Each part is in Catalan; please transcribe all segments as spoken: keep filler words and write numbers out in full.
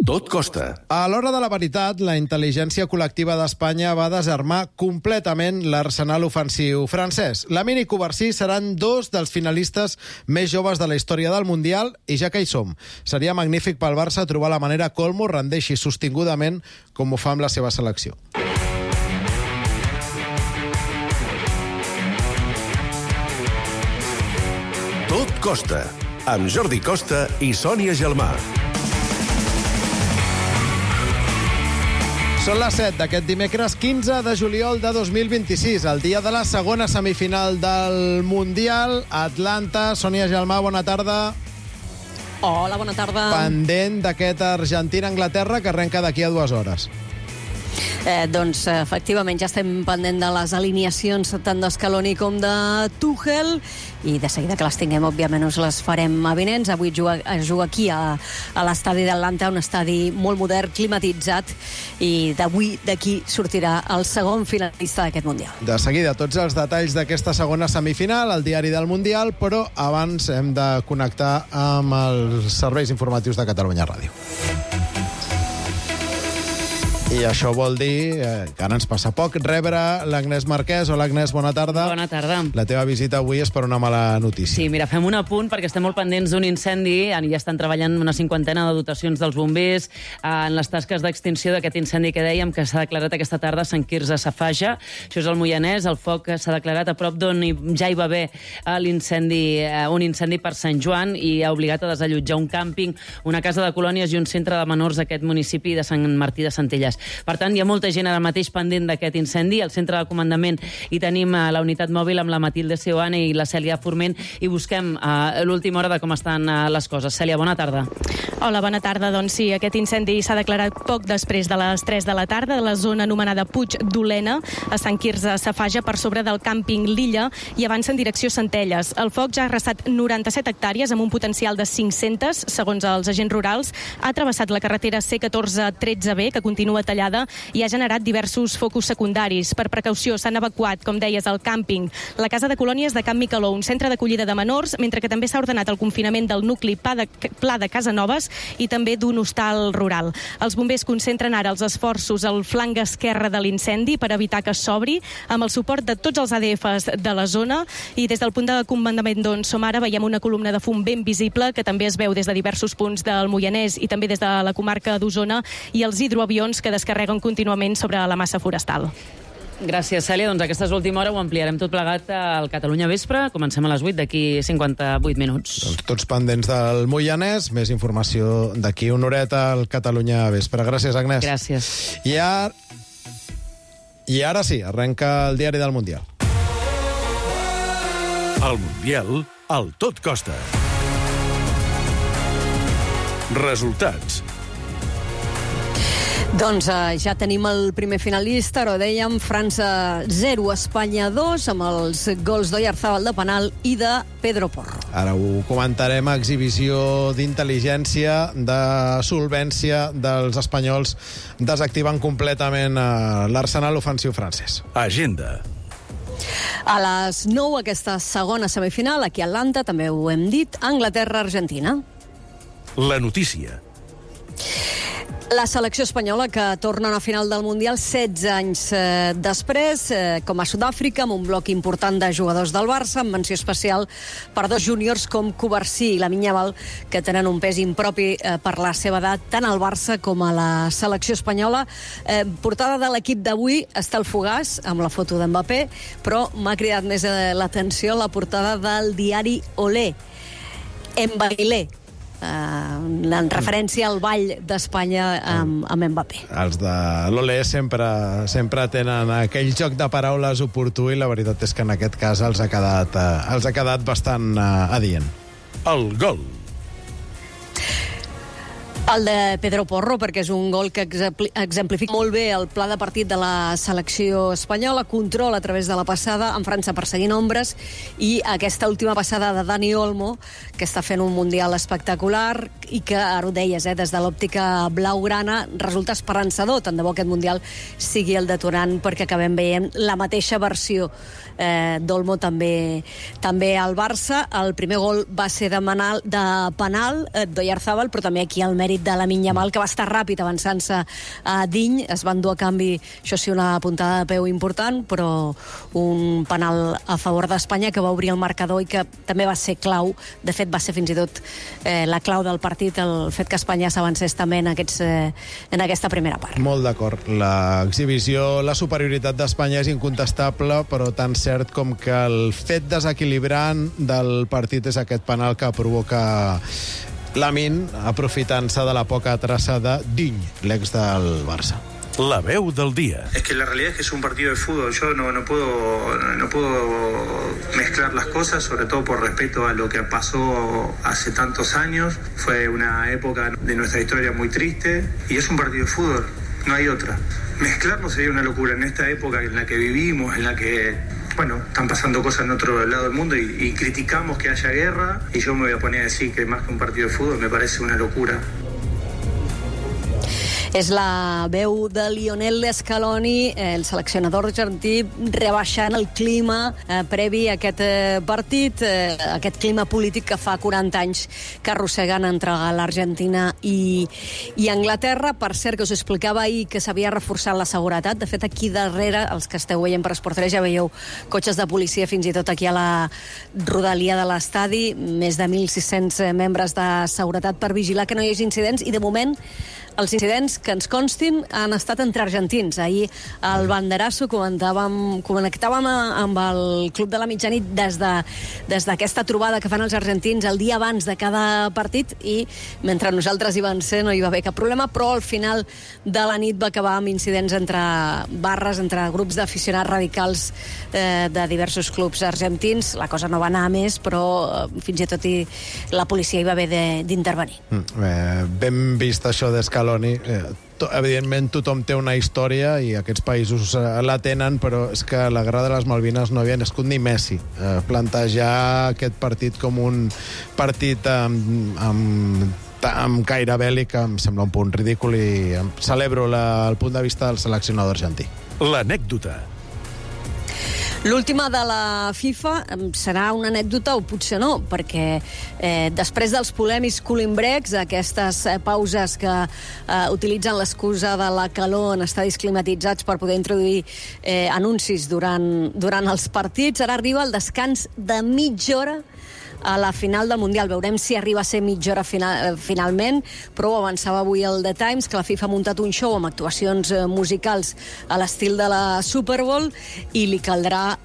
Tot costa. A l'hora de la veritat, la intel·ligència col·lectiva d'Espanya va desarmar completament l'arsenal ofensiu francès. Lamine i Covarsí seran dos dels finalistes més joves de la història del Mundial i ja que hi som, seria magnífic pel Barça trobar la manera que Olmo rendeixi sostingudament com ho fa amb la seva selecció. Tot costa, amb Jordi Costa i Sònia Gelmà. Són les set d'aquest dimecres quinze de juliol de dos mil vint-i-sis, el dia de la segona semifinal del Mundial. Atlanta, Sònia Gelmà, bona tarda. Hola, bona tarda. Pendent d'aquest Argentina-Anglaterra que arrenca d'aquí a dues hores. Eh, doncs, efectivament, ja estem pendent de les alineacions tant d'Escaloni com de Tuchel i de seguida que les tinguem, òbviament, us les farem avinents. Avui juga, juga aquí a, a l'estadi d'Atlanta, un estadi molt modern, climatitzat, i d'avui d'aquí sortirà el segon finalista d'aquest Mundial. De seguida, tots els detalls d'aquesta segona semifinal, el diari del Mundial, però abans hem de connectar amb els serveis informatius de Catalunya Ràdio. I això vol dir eh, que ara ens passa poc rebre l'Agnès Marquès. Hola, Agnès, bona tarda. Bona tarda. La teva visita avui és per una mala notícia. Sí, mira, fem un apunt perquè estem molt pendents d'un incendi. Ja estan treballant una cinquantena de dotacions dels bombers en les tasques d'extinció d'aquest incendi que dèiem que s'ha declarat aquesta tarda a Sant Quirze Safaja. Això és el Moianès. El foc s'ha declarat a prop d'on ja hi va haver l'incendi, un incendi per Sant Joan i ha obligat a desallotjar un càmping, una casa de colònies i un centre de menors d'aquest municipi de Sant Martí de Centelles. Per tant, hi ha molta gent ara mateix pendent d'aquest incendi. Al centre de comandament hi tenim la unitat mòbil amb la Matilde Seoane i la Cèlia Forment i busquem a l'última hora de com estan les coses. Cèlia, bona tarda. Hola, bona tarda. Doncs sí, aquest incendi s'ha declarat poc després de les tres de la tarda de la zona anomenada Puig d'Olena, a Sant Quirze Safaja, per sobre del càmping L'Illa, i avança en direcció Centelles. El foc ja ha arrasat noranta-set hectàrees amb un potencial de cinc-centes, segons els agents rurals. Ha travessat la carretera C catorze tretze B, que continua tallada, i ha generat diversos focus secundaris. Per precaució s'han evacuat, com deies, el càmping, la casa de colònies de Can Micaló, un centre d'acollida de menors, mentre que també s'ha ordenat el confinament del nucli Pla de, Pla de Casanovas i també d'un hostal rural. Els bombers concentren ara els esforços al flanc esquerre de l'incendi per evitar que s'obri, amb el suport de tots els A D Fs de la zona, i des del punt de comandament d'on som ara veiem una columna de fum ben visible que també es veu des de diversos punts del Moianès i també des de la comarca d'Osona, i els hidroavions que descarreguen contínuament sobre la massa forestal. Gràcies, Cèlia. Doncs aquesta és l'última hora, ho ampliarem tot plegat al Catalunya Vespre. Comencem a les vuit, d'aquí cinquanta-vuit minuts. Doncs tots pendents del Moianès, més informació d'aquí una horeta al Catalunya Vespre. Gràcies, Agnès. Gràcies. I ara... I ara sí, arrenca el diari del Mundial. El Mundial, al Tot Costa. Resultats. Doncs eh, ja tenim el primer finalista, però dèiem França zero, Espanya dos, amb els gols d'Oyarzabal de penal i de Pedro Porro. Ara ho comentarem, exhibició d'intel·ligència, de solvència dels espanyols, desactivant completament eh, l'arsenal ofensiu francès. Agenda. A les nou, aquesta segona semifinal, aquí a Atlanta, també ho hem dit, Anglaterra-Argentina. La notícia. La selecció espanyola, que torna a una final del Mundial setze anys eh, després, eh, com a Sud-àfrica, amb un bloc important de jugadors del Barça, amb menció especial per dos júniors com Covarsí i Lamine Yamal, que tenen un pes impropi eh, per la seva edat, tant al Barça com a la selecció espanyola. Eh, portada de l'equip d'avui està el Fogàs, amb la foto d'Mbappé, però m'ha cridat més eh, l'atenció la portada del diari Olé. Mbailé, Uh, en referència al ball d'Espanya amb, amb Mbappé. Els de l'Olé sempre, sempre tenen aquell joc de paraules oportú i la veritat és que en aquest cas els ha quedat, uh, els ha quedat bastant uh, adient. El gol. El de Pedro Porro, perquè és un gol que exemplifica molt bé el pla de partit de la selecció espanyola, control a través de la passada, en França perseguint ombres, i aquesta última passada de Dani Olmo, que està fent un Mundial espectacular i que, ara ho deies, eh, des de l'òptica blaugrana resulta esperançador, tant de bo aquest Mundial sigui el detonant perquè acabem veient la mateixa versió eh, d'Olmo també, també al Barça. El primer gol va ser de, manal, de penal eh, d'Oyarzabal, però també aquí el mèrit de Lamine Yamal, que va estar ràpid avançant-se a Diny. Es van dur a canvi, això sí, una puntada de peu important, però un penal a favor d'Espanya que va obrir el marcador i que també va ser clau. De fet, va ser fins i tot eh, la clau del partit, el fet que Espanya s'avancés també en, aquests, eh, en aquesta primera part. Molt d'acord. L'exhibició, la superioritat d'Espanya és incontestable, però tan cert com que el fet desequilibrant del partit és aquest penal que provoca Lamine, aprofitant-se de la poca traça de Diny, l'ex del Barça. La veu del día. Es que la realidad es que es un partido de fútbol. Yo no, no puedo no puedo mezclar las cosas, sobre todo por respeto a lo que pasó hace tantos años. Fue una época de nuestra historia muy triste y es un partido de fútbol, no hay otra. Mezclarlo sería una locura en esta época en la que vivimos, en la que, bueno, están pasando cosas en otro lado del mundo y, y criticamos que haya guerra, y yo me voy a poner a decir que más que un partido de fútbol me parece una locura. És la veu de Lionel Scaloni, el seleccionador argentí, rebaixant el clima eh, previ a aquest eh, partit, eh, aquest clima polític que fa quaranta anys que arrosseguen entre l'Argentina i, i Anglaterra. Per cert, que us explicava ahir que s'havia reforçat la seguretat. De fet, aquí darrere, els que esteu veient per Esport tres, ja veieu cotxes de policia fins i tot aquí a la rodalia de l'estadi, més de mil sis-cents membres de seguretat per vigilar que no hi hagi incidents, i de moment els incidents que ens constin han estat entre argentins. Ahir al banderasso comentàvem, connectàvem amb el Club de la Mitjanit des de, des d'aquesta trobada que fan els argentins el dia abans de cada partit, i mentre nosaltres hi van ser no hi va haver cap problema, però al final de la nit va acabar amb incidents entre barres, entre grups d'aficionats radicals eh, de diversos clubs argentins. La cosa no va anar a més, però eh, fins i tot i la policia hi va haver d'intervenir. Mm, eh, ben vist això d'Escaloni. Eh, to, evidentment tothom té una història i aquests països eh, la tenen, però és que la Guerra de les Malvines no havia nascut ni Messi. Eh, plantejar aquest partit com un partit amb, amb amb caire bèl·lic em sembla un punt ridícul, i celebro la, el punt de vista del seleccionador argentí. L'anècdota. L'última de la FIFA serà una anècdota o potser no, perquè eh, després dels polèmics cooling-breaks, aquestes eh, pauses que eh, utilitzen l'excusa de la calor en estadis climatitzats per poder introduir eh, anuncis durant, durant els partits, ara arriba el descans de mitja hora a la final del Mundial. Veurem si arriba a ser mitja hora final, finalment, però ho avançava avui el The Times, que la FIFA ha muntat un show amb actuacions musicals a l'estil de la Super Bowl, i li caldrà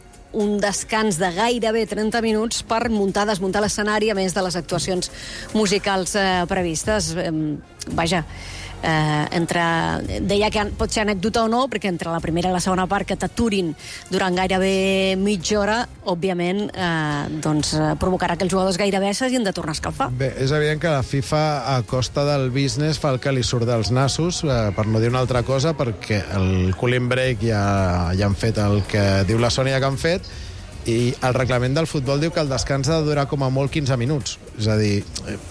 un descans de gairebé trenta minuts per muntar, desmuntar l'escenari, a més de les actuacions musicals eh, previstes. Eh, vaja, eh, entre, deia que pot ser anècdota o no, perquè entre la primera i la segona part que t'aturin durant gairebé mitja hora, òbviament, eh, doncs, provocarà que els jugadors gairebé s'hagin de tornar a escalfar. Bé, és evident que la FIFA, a costa del business, fa el que li surt dels nassos, eh, per no dir una altra cosa, perquè el cooling break ja, ja han fet el que diu la Sònia que han fet, i el reglament del futbol diu que el descans ha de durar com a molt quinze minuts. És a dir,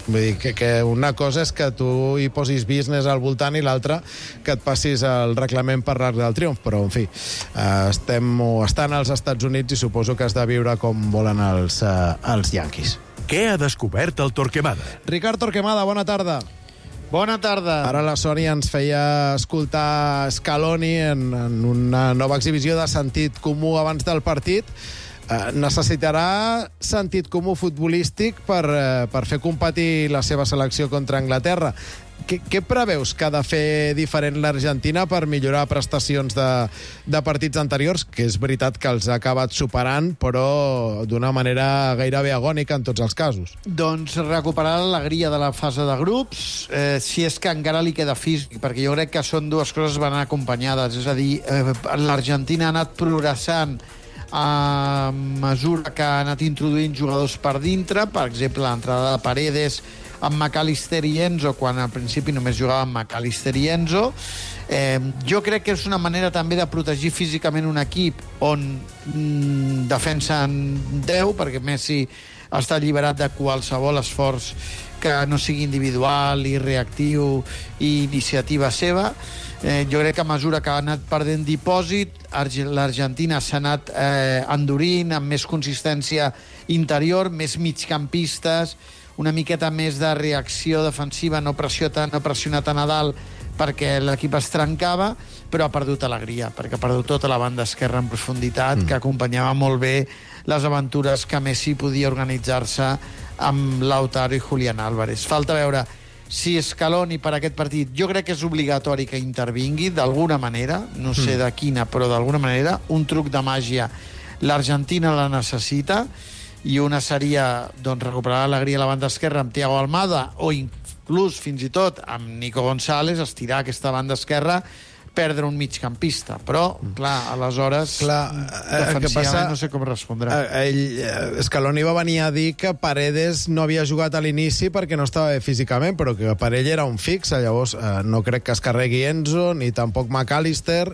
vull dir que, que una cosa és que tu hi posis business al voltant i l'altra que et passis el reglament per l'arc del triomf, però en fi, estem o estan als Estats Units i suposo que has de viure com volen els, uh, els Yankees. Què ha descobert el Torquemada? Ricard Torquemada, bona tarda. Bona tarda. Ara la Sònia ens feia escoltar Scaloni en, en una nova exhibició de sentit comú abans del partit. Eh, necessitarà sentit comú futbolístic per, eh, per fer competir la seva selecció contra Anglaterra. Què, què preveus que ha de fer diferent l'Argentina per millorar prestacions de, de partits anteriors, que és veritat que els ha acabat superant, però d'una manera gairebé agònica en tots els casos? Doncs recuperar l'alegria de la fase de grups, eh, si és que encara li queda físic, perquè jo crec que són dues coses que van acompanyades. És a dir, eh, l'Argentina ha anat progressant a mesura que ha anat introduint jugadors per dintre, per exemple, l'entrada de Paredes amb McAllister i Enzo, quan al principi només jugava amb McAllister i Enzo. Eh, jo crec que és una manera també de protegir físicament un equip on mm, defensen deu, perquè Messi està alliberat de qualsevol esforç que no sigui individual i reactiu i iniciativa seva. Eh, jo crec que a mesura que ha anat perdent dipòsit, l'Argentina s'ha anat eh, endurint amb més consistència interior, més migcampistes, una miqueta més de reacció defensiva, no pressió tant, no pressionar tan a dalt perquè l'equip es trencava, però ha perdut alegria, perquè ha perdut tota la banda esquerra en profunditat, mm. que acompanyava molt bé les aventures que Messi podia organitzar-se amb Lautaro i Julián Álvarez. Falta veure si Scaloni per aquest partit, jo crec que és obligatori que intervingui d'alguna manera, no sé mm. de quina, però d'alguna manera, un truc de màgia. L'Argentina la necessita, i una seria doncs, recuperar l'alegria a la banda esquerra amb Thiago Almada, o inclús, fins i tot, amb Nico González, estirar aquesta banda esquerra, perdre un migcampista. Però, clar, aleshores, clar, defensivament passa, no sé com respondrà. Ell, Scaloni va venir a dir que Paredes no havia jugat a l'inici perquè no estava bé físicament, però que per ell era un fix. Llavors, eh, no crec que es carregui Enzo, ni tampoc McAllister.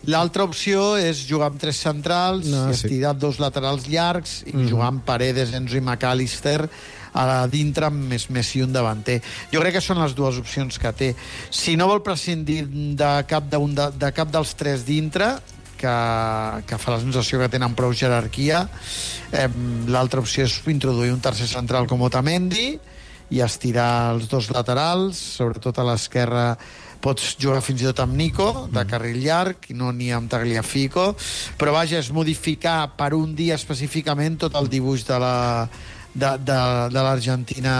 L'altra opció és jugar amb tres centrals, no, i estirar sí. dos laterals llargs i mm. jugar amb Paredes, Enzo i McAllister a dintre amb més Messi un davanter. Jo crec que són les dues opcions que té. Si no vol prescindir de cap, de, de, de cap dels tres dintre, que, que fa la sensació que tenen prou jerarquia, eh, l'altra opció és introduir un tercer central com Otamendi i estirar els dos laterals, sobretot a l'esquerra pots jugar fins i tot amb Nico, de carril llarg, i no ni amb Tagliafico, però vaja, és modificar per un dia específicament tot el dibuix de la de, de, de l'Argentina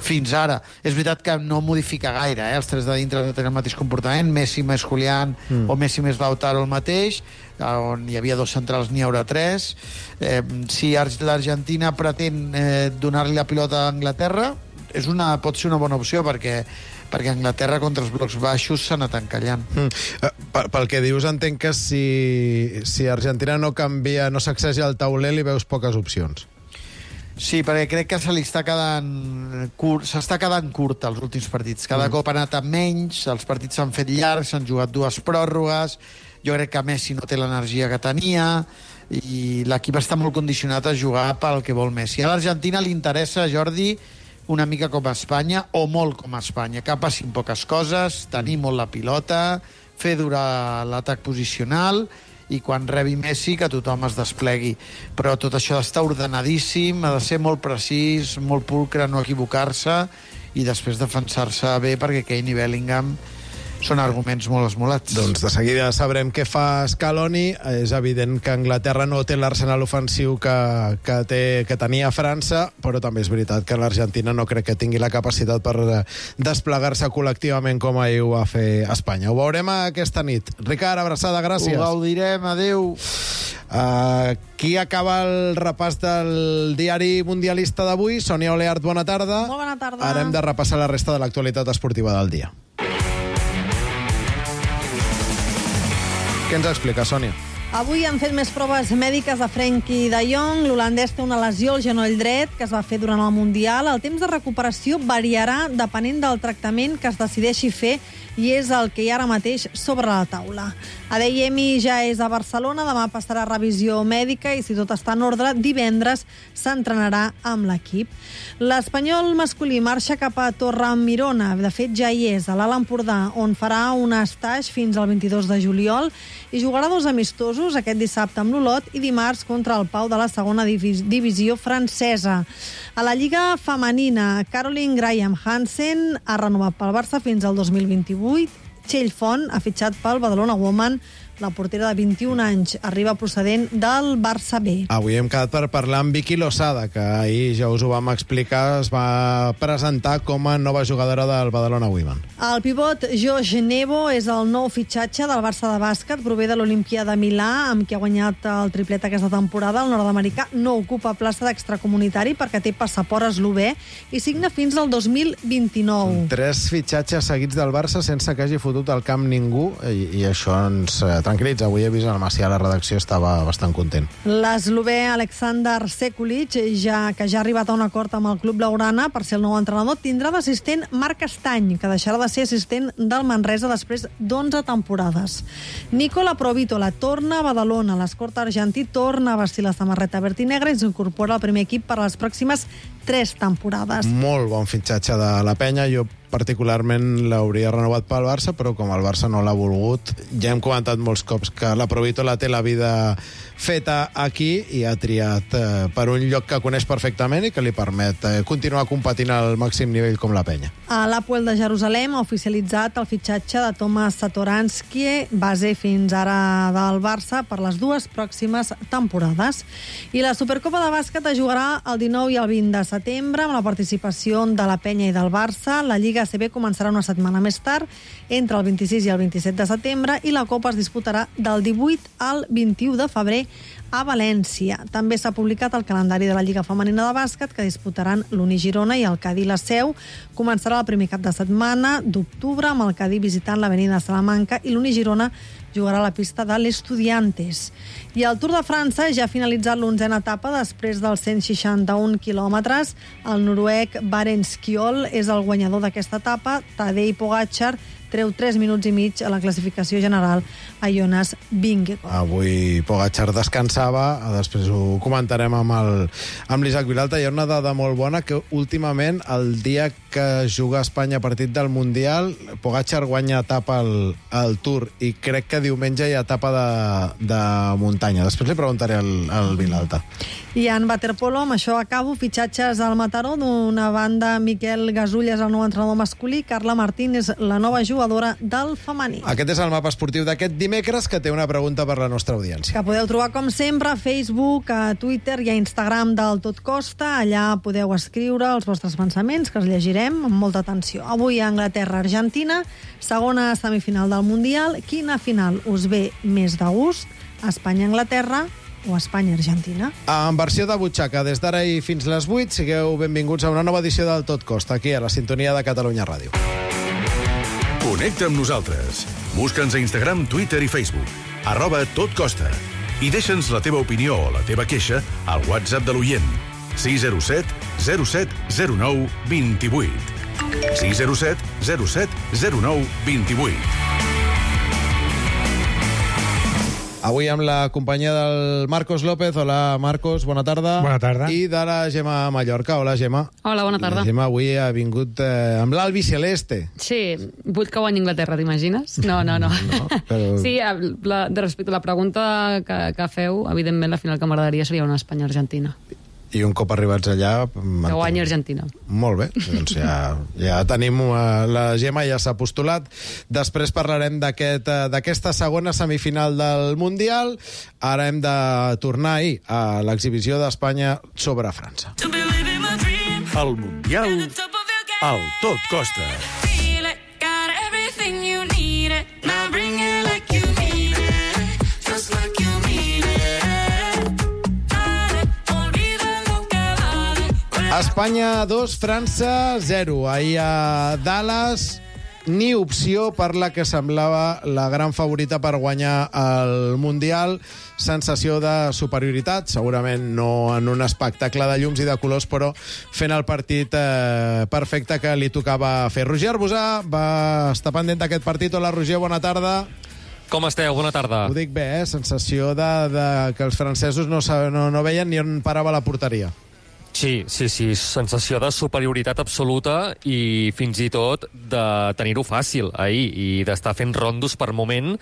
fins ara. És veritat que no modifica gaire, eh? Els tres de dintre no tenen el mateix comportament, Messi més Julián mm. o Messi més Lautaro el mateix, on hi havia dos centrals n'hi haurà tres. Eh, si l'Argentina pretén eh, donar-li la pilota a Anglaterra, és una, pot ser una bona opció, perquè perquè Anglaterra contra els blocs baixos s'ha anat encallant. Mm. Pel que dius, entenc que si, si Argentina no canvia, no sacseja el tauler, li veus poques opcions. Sí, perquè crec que se li està quedant curt, s'està quedant curt els últims partits. Cada mm. cop ha anat amb menys, els partits s'han fet llargs, s'han jugat dues pròrrogues, jo crec que Messi no té l'energia que tenia, i l'equip està molt condicionat a jugar pel que vol Messi. A l'Argentina li interessa, Jordi, una mica com a Espanya, o molt com a Espanya, que passin poques coses, tenir molt la pilota, fer durar l'atac posicional, i quan rebi Messi que tothom es desplegui. Però tot això està ordenadíssim, ha de ser molt precís, molt pulcre, no equivocar-se, i després defensar-se bé, perquè Kane i Bellingham són arguments molt esmolats. Doncs de seguida sabrem què fa Scaloni. És evident que Anglaterra no té l'arsenal ofensiu que, que, té, que tenia França, però també és veritat que l'Argentina no crec que tingui la capacitat per desplegar-se col·lectivament com ahir ho va fer Espanya. Ho veurem aquesta nit. Ricard, abraçada, gràcies. Ho gaudirem, adeu. Uh, qui acaba el repàs del diari mundialista d'avui? Sònia Oleart, bona tarda. Molt bona tarda. Ara hem de repassar la resta de l'actualitat esportiva del dia. Què ens explica, Sònia? Avui han fet més proves mèdiques a Frenkie de Jong. L'holandès té una lesió al genoll dret que es va fer durant el Mundial. El temps de recuperació variarà depenent del tractament que es decideixi fer, i és el que hi ha ara mateix sobre la taula. Adeyemi ja és a Barcelona, demà passarà revisió mèdica i, si tot està en ordre, divendres s'entrenarà amb l'equip. L'Espanyol masculí marxa cap a Torre-Mirona. De fet, ja hi és, a l'Alt Empordà, on farà un estatge fins al vint-i-dos de juliol i jugarà dos amistosos, aquest dissabte amb l'Olot i dimarts contra el Pau de la segona divisió francesa. A la Lliga femenina, Caroline Graham Hansen ha renovat pel Barça fins al dos mil vint-i-vuit. Txell Font ha fitxat pel Badalona Woman. La portera de vint-i-un anys arriba procedent del Barça B. Avui hem quedat per parlar amb Vicky Losada, que ahir ja us ho vam explicar, es va presentar com a nova jugadora del Badalona Women. El pivot Josh Nebo és el nou fitxatge del Barça de bàsquet, prové de l'Olimpia de Milà, amb qui ha guanyat el triplet aquesta temporada. El nord-americà no ocupa plaça d'extracomunitari perquè té passaport eslové i signa fins al dos mil vint-i-nou. Tres fitxatges seguits del Barça sense que hagi fotut al camp ningú, i, i això ens tranquil·litza. Avui he vist el Macià a la redacció, estava bastant content. L'eslovè Aleksandar Sekulic, ja, que ja ha arribat a un acord amb el club blaugrana per ser el nou entrenador, tindrà d'assistent Marc Estany, que deixarà de ser assistent del Manresa després d'onze temporades. Nicola Provítola torna a Badalona. L'esport argentí torna a vestir la samarreta verd i negra i s'incorpora al primer equip per a les pròximes tres temporades. Molt bon fitxatge de la penya. Jo particularment l'hauria renovat pel Barça, però com el Barça no l'ha volgut, ja hem comentat molts cops que la Provítola té la vida feta aquí i ha triat eh, per un lloc que coneix perfectament i que li permet eh, continuar competint al màxim nivell com la penya. A l'Apoel de Jerusalem ha oficialitzat el fitxatge de Tomas Satoransky, base fins ara del Barça, per les dues pròximes temporades. I la Supercopa de bàsquet es jugarà el dinou i el vint de setembre amb la participació de la penya i del Barça. La Lliga A C B començarà una setmana més tard, entre el vint-i-sis i el vint-i-set de setembre, i la Copa es disputarà del divuit al vint-i-u de febrer a València. També s'ha publicat el calendari de la Lliga Femenina de Bàsquet, que disputaran l'Uni Girona i el Cadí La Seu. Començarà el primer cap de setmana d'octubre, amb el Cadí visitant l'Avenida Salamanca, i l'Uni Girona jugarà a la pista de l'Estudiantes. I el Tour de França ja ha finalitzat l'onzena etapa després dels cent seixanta-un quilòmetres. El noruec Barents Kjol és el guanyador d'aquesta etapa. Tadej Pogačar treu tres minuts i mig a la classificació general a Jonas Vingegaard. Avui Pogačar descansava, després ho comentarem amb el, amb l'Isaac Vilalta. Hi ha una dada molt bona, que últimament, el dia que juga Espanya partit del Mundial, Pogačar guanya etapa al, al Tour, i crec que diumenge hi ha etapa de, de muntanya. Després li preguntaré al, al Vilalta. I en waterpolo, amb això acabo, fitxatges al Mataró. D'una banda, Miquel Gasull és el nou entrenador masculí, Carla Martín és la nova jugadora del femení. Aquest és el mapa esportiu d'aquest dimecres, que té una pregunta per la nostra audiència. Que podeu trobar, com sempre, a Facebook, a Twitter i a Instagram del Tot Costa. Allà podeu escriure els vostres pensaments, que els llegirem amb molta atenció. Avui a Anglaterra-Argentina, segona semifinal del Mundial. Quina final us ve més de gust? Espanya-Anglaterra o Espanya-Argentina? En versió de butxaca, des d'ara i fins les vuit, sigueu benvinguts a una nova edició del Tot Costa, aquí a la sintonia de Catalunya Ràdio. Connecta amb nosaltres. Busca'ns a Instagram, Twitter i Facebook. Arroba Tot Costa. I deixa'ns la teva opinió o la teva queixa al WhatsApp de l'oient. sis zero set zero set zero nou dos vuit. sis zero set zero set zero nou dos vuit. Avui amb la companyia del Marcos López. Hola, Marcos, bona tarda. Bona tarda. I de la Gemma Mallorca. Hola, Gemma. Hola, bona tarda. La Gemma avui ha vingut eh, amb l'Albi Celeste. Sí, vull que guanyi Inglaterra, t'imagines? No, no, no. no però... Sí, la, de respecte a la pregunta que, que feu, evidentment la final que m'agradaria seria una Espanya-Argentina. I un cop arribats allà... Que guanyi Argentina. Molt bé, doncs ja, ja tenim... Uh, la Gemma ja s'ha postulat. Després parlarem d'aquest, uh, d'aquesta segona semifinal del Mundial. Ara hem de tornar ahir a l'exhibició d'Espanya sobre França. El Mundial al Tot Costa. Espanya dos, França zero. Ahir a Dallas, ni opció per la que semblava la gran favorita per guanyar el Mundial. Sensació de superioritat, segurament no en un espectacle de llums i de colors, però fent el partit eh, perfecte que li tocava fer. Roger Arbusà va estar pendent d'aquest partit. Hola, Roger, bona tarda. Com esteu? Bona tarda. Ho dic bé, eh? Sensació de, de que els francesos no, no, no veien ni on parava la porteria. Sí, sí, sí, sensació de superioritat absoluta i fins i tot de tenir-ho fàcil ahir i d'estar fent rondos per moment.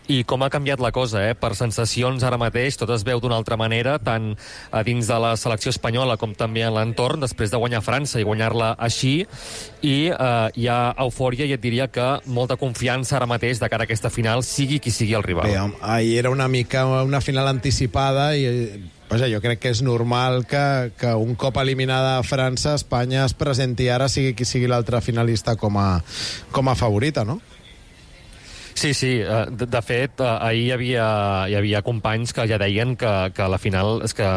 I com ha canviat la cosa, eh? Per sensacions ara mateix tot es veu d'una altra manera, tant a dins de la selecció espanyola com també en l'entorn, després de guanyar França i guanyar-la així. I eh, hi ha eufòria i et diria que molta confiança ara mateix de cara a aquesta final, sigui qui sigui el rival. Bé, ahir era una mica una final anticipada i... Vaja, jo crec que és normal que, que un cop eliminada França, Espanya es presenti ara, sigui qui sigui l'altre finalista, com a, com a favorita, no? Sí, sí. De, de fet, ahir hi havia, hi havia companys que ja deien que, que a la final és que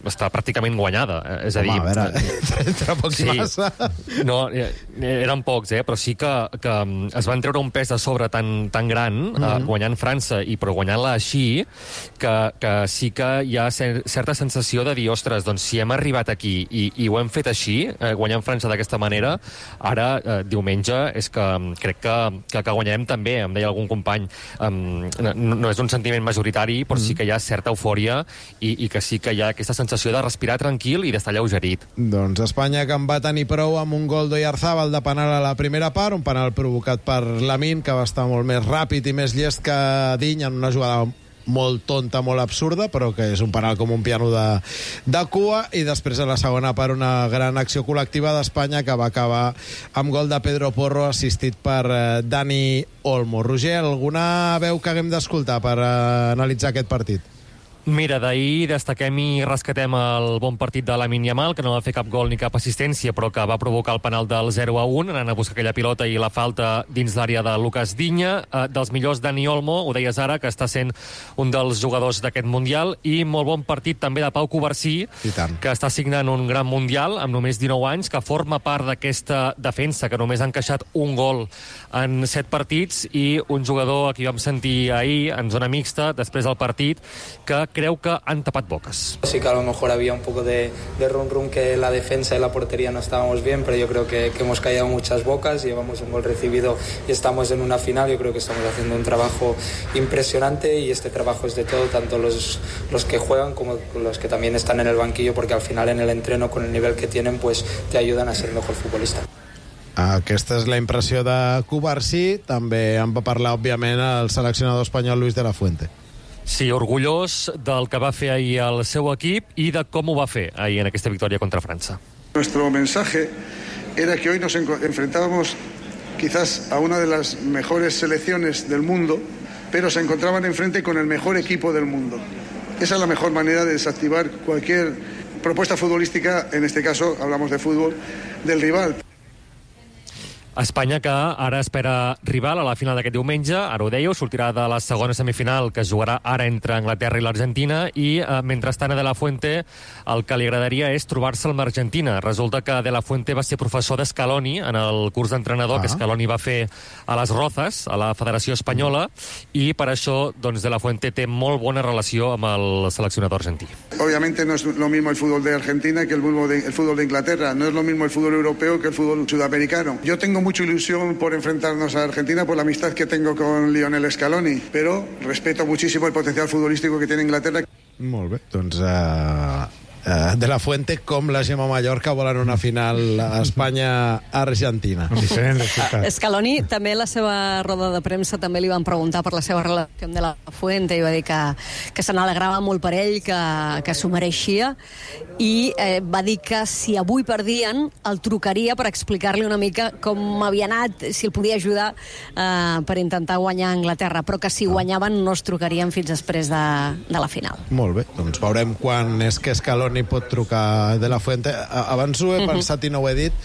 està pràcticament guanyada. És a dir... Home, a veure, entre pocs sí, massa. No, eren pocs, eh? Però sí que, que es van treure un pes de sobre tan, tan gran, mm-hmm. eh, guanyant França, i però guanyant-la així, que, que sí que hi ha cer certa sensació de dir, ostres, doncs si hem arribat aquí i, i ho hem fet així, eh, guanyant França d'aquesta manera, ara, eh, diumenge, és que crec que, que, que guanyarem també, em deia algun company. Um, no, no és un sentiment majoritari, però mm. sí que hi ha certa eufòria i, i que sí que hi ha aquesta sensació de respirar tranquil i d'estar lleugerit. Doncs Espanya, que en va tenir prou amb un gol d'Oyarzabal de penal a la primera part, un penal provocat per Lamine, que va estar molt més ràpid i més llest que Digne en una jugada molt tonta, molt absurda, però que és un penal com un piano de, de cua, i després a la segona part una gran acció col·lectiva d'Espanya que va acabar amb gol de Pedro Porro assistit per eh, Dani Olmo. Roger, alguna veu que haguem d'escoltar per eh, analitzar aquest partit? Mira, d'ahir destaquem i rescatem el bon partit de Lamine Yamal, que no va fer cap gol ni cap assistència, però que va provocar el penal del zero a un, anant a buscar aquella pilota i la falta dins l'àrea de Lucas Digne. Eh, dels millors, Dani Olmo, ho deies ara, que està sent un dels jugadors d'aquest Mundial, i molt bon partit també de Pau Covarsí, que està signant un gran Mundial amb només dinou anys, que forma part d'aquesta defensa, que només ha encaixat un gol en set partits, i un jugador a qui vam sentir ahir en zona mixta, després del partit, que creu que han tapat boques. Sí que a lo mejor había un poco de, de rum rum que la defensa y la portería no estábamos bien, pero yo creo que, que hemos callado muchas bocas, llevamos un gol recibido y estamos en una final. Yo creo que estamos haciendo un trabajo impresionante, y este trabajo es de todo, tanto los, los que juegan como los que también están en el banquillo, porque al final en el entreno, con el nivel que tienen, pues te ayudan a ser mejor futbolista. Aquesta és la impressió de Covarsí. També en va parlar, òbviament, el seleccionador espanyol Luis de la Fuente. Sí, orgullós del que va fer ahir el seu equip i de com ho va fer ahir en aquesta victòria contra França. Nuestro mensaje era que hoy nos enfrentábamos quizás a una de las mejores selecciones del mundo, pero se encontraban enfrente con el mejor equipo del mundo. Esa es la mejor manera de desactivar cualquier propuesta futbolística, en este caso hablamos de fútbol, del rival. Espanya, que ara espera rival a la final d'aquest diumenge, ara ho dèieu, sortirà de la segona semifinal que es jugarà ara entre Anglaterra i l'Argentina, i eh, mentrestant a De La Fuente el que li agradaria és trobar-se amb l'Argentina. Resulta que De La Fuente va ser professor d'Scaloni en el curs d'entrenador ah. que Scaloni va fer a les Rozas, a la Federació Espanyola, i per això doncs, De La Fuente té molt bona relació amb el seleccionador argentí. Obviamente no es lo mismo el fútbol de Argentina que el fútbol de, el fútbol de Inglaterra, no es lo mismo el fútbol europeo que el fútbol sudamericano. Yo tengo mucha ilusión por enfrentarnos a Argentina por la amistad que tengo con Lionel Scaloni, pero respeto muchísimo el potencial futbolístico que tiene Inglaterra. Molt bé, doncs uh, uh, De La Fuente com la Gemma Mallorca volen una final a Espanya-Argentina. Scaloni també, la seva roda de premsa, també li van preguntar per la seva relació amb De La Fuente, i va dir que, que se n'alegrava molt per ell, que, que s'ho mereixia, i eh, va dir que si avui perdien el trucaria per explicar-li una mica com havia anat, si el podia ajudar eh, per intentar guanyar a Anglaterra, però que si guanyaven no es trucarien fins després de, de la final. Molt bé, doncs veurem quan és que Scaloni pot trucar De La Fuente. Abans ho he uh-huh. pensat i no ho he dit.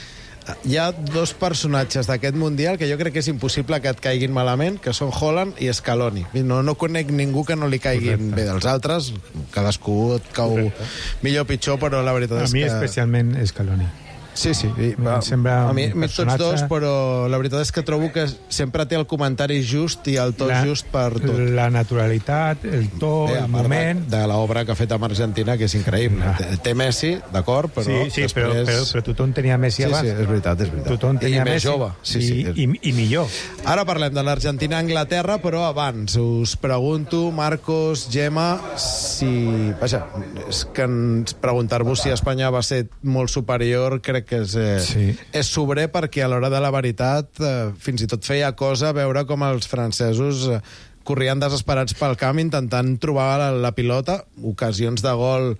Hi ha dos personatges d'aquest Mundial que jo crec que és impossible que et caiguin malament, que són Haaland i Scaloni. No, no conec ningú que no li caiguin Correcte. bé. Dels altres, cadascú et cau Correcte. millor o pitjor, però la veritat a és que... A mi especialment Scaloni. Sí, sí. I, va, sembla a mi, mi personatge... tots dos, però la veritat és que trobo que sempre té el comentari just i el to la, just per tot. La naturalitat, el to, Bé, el moment... De, de l'obra que ha fet amb Argentina, que és increïble. Té, té Messi, d'acord, però sí, sí, després... Però, però, però tothom tenia Messi sí, abans. Sí, és veritat, és veritat. Tothom tenia I Messi. més jove. Sí, sí. I, i, I millor. Ara parlem de l'Argentina-Anglaterra, però abans us pregunto, Marcos, Gemma, si... Vaja, és que preguntar-vos si Espanya va ser molt superior, crec que és... Eh, sí. És sobrer, perquè a l'hora de la veritat eh, fins i tot feia cosa veure com els francesos eh, corrien desesperats pel camp intentant trobar la, la pilota, ocasions de gol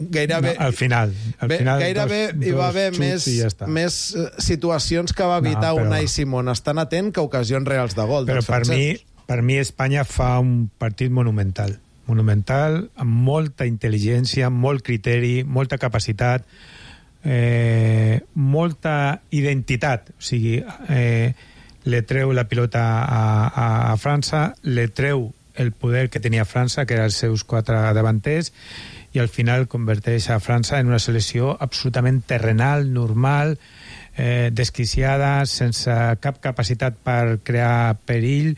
gairebé... No, al final. Al bé, final gairebé dos, hi va dos haver més, ja més situacions que va evitar no, però... Unai Simón estan atent que ocasions reals de gol. Però per mi, per mi Espanya fa un partit monumental. Monumental, amb molta intel·ligència, molt criteri, molta capacitat, Eh, molta identitat, o sigui, eh, le treu la pilota a, a, a França, le treu el poder que tenia França, que eren els seus quatre davanters, i al final converteix a França en una selecció absolutament terrenal, normal, eh, desquiciada, sense cap capacitat per crear perill.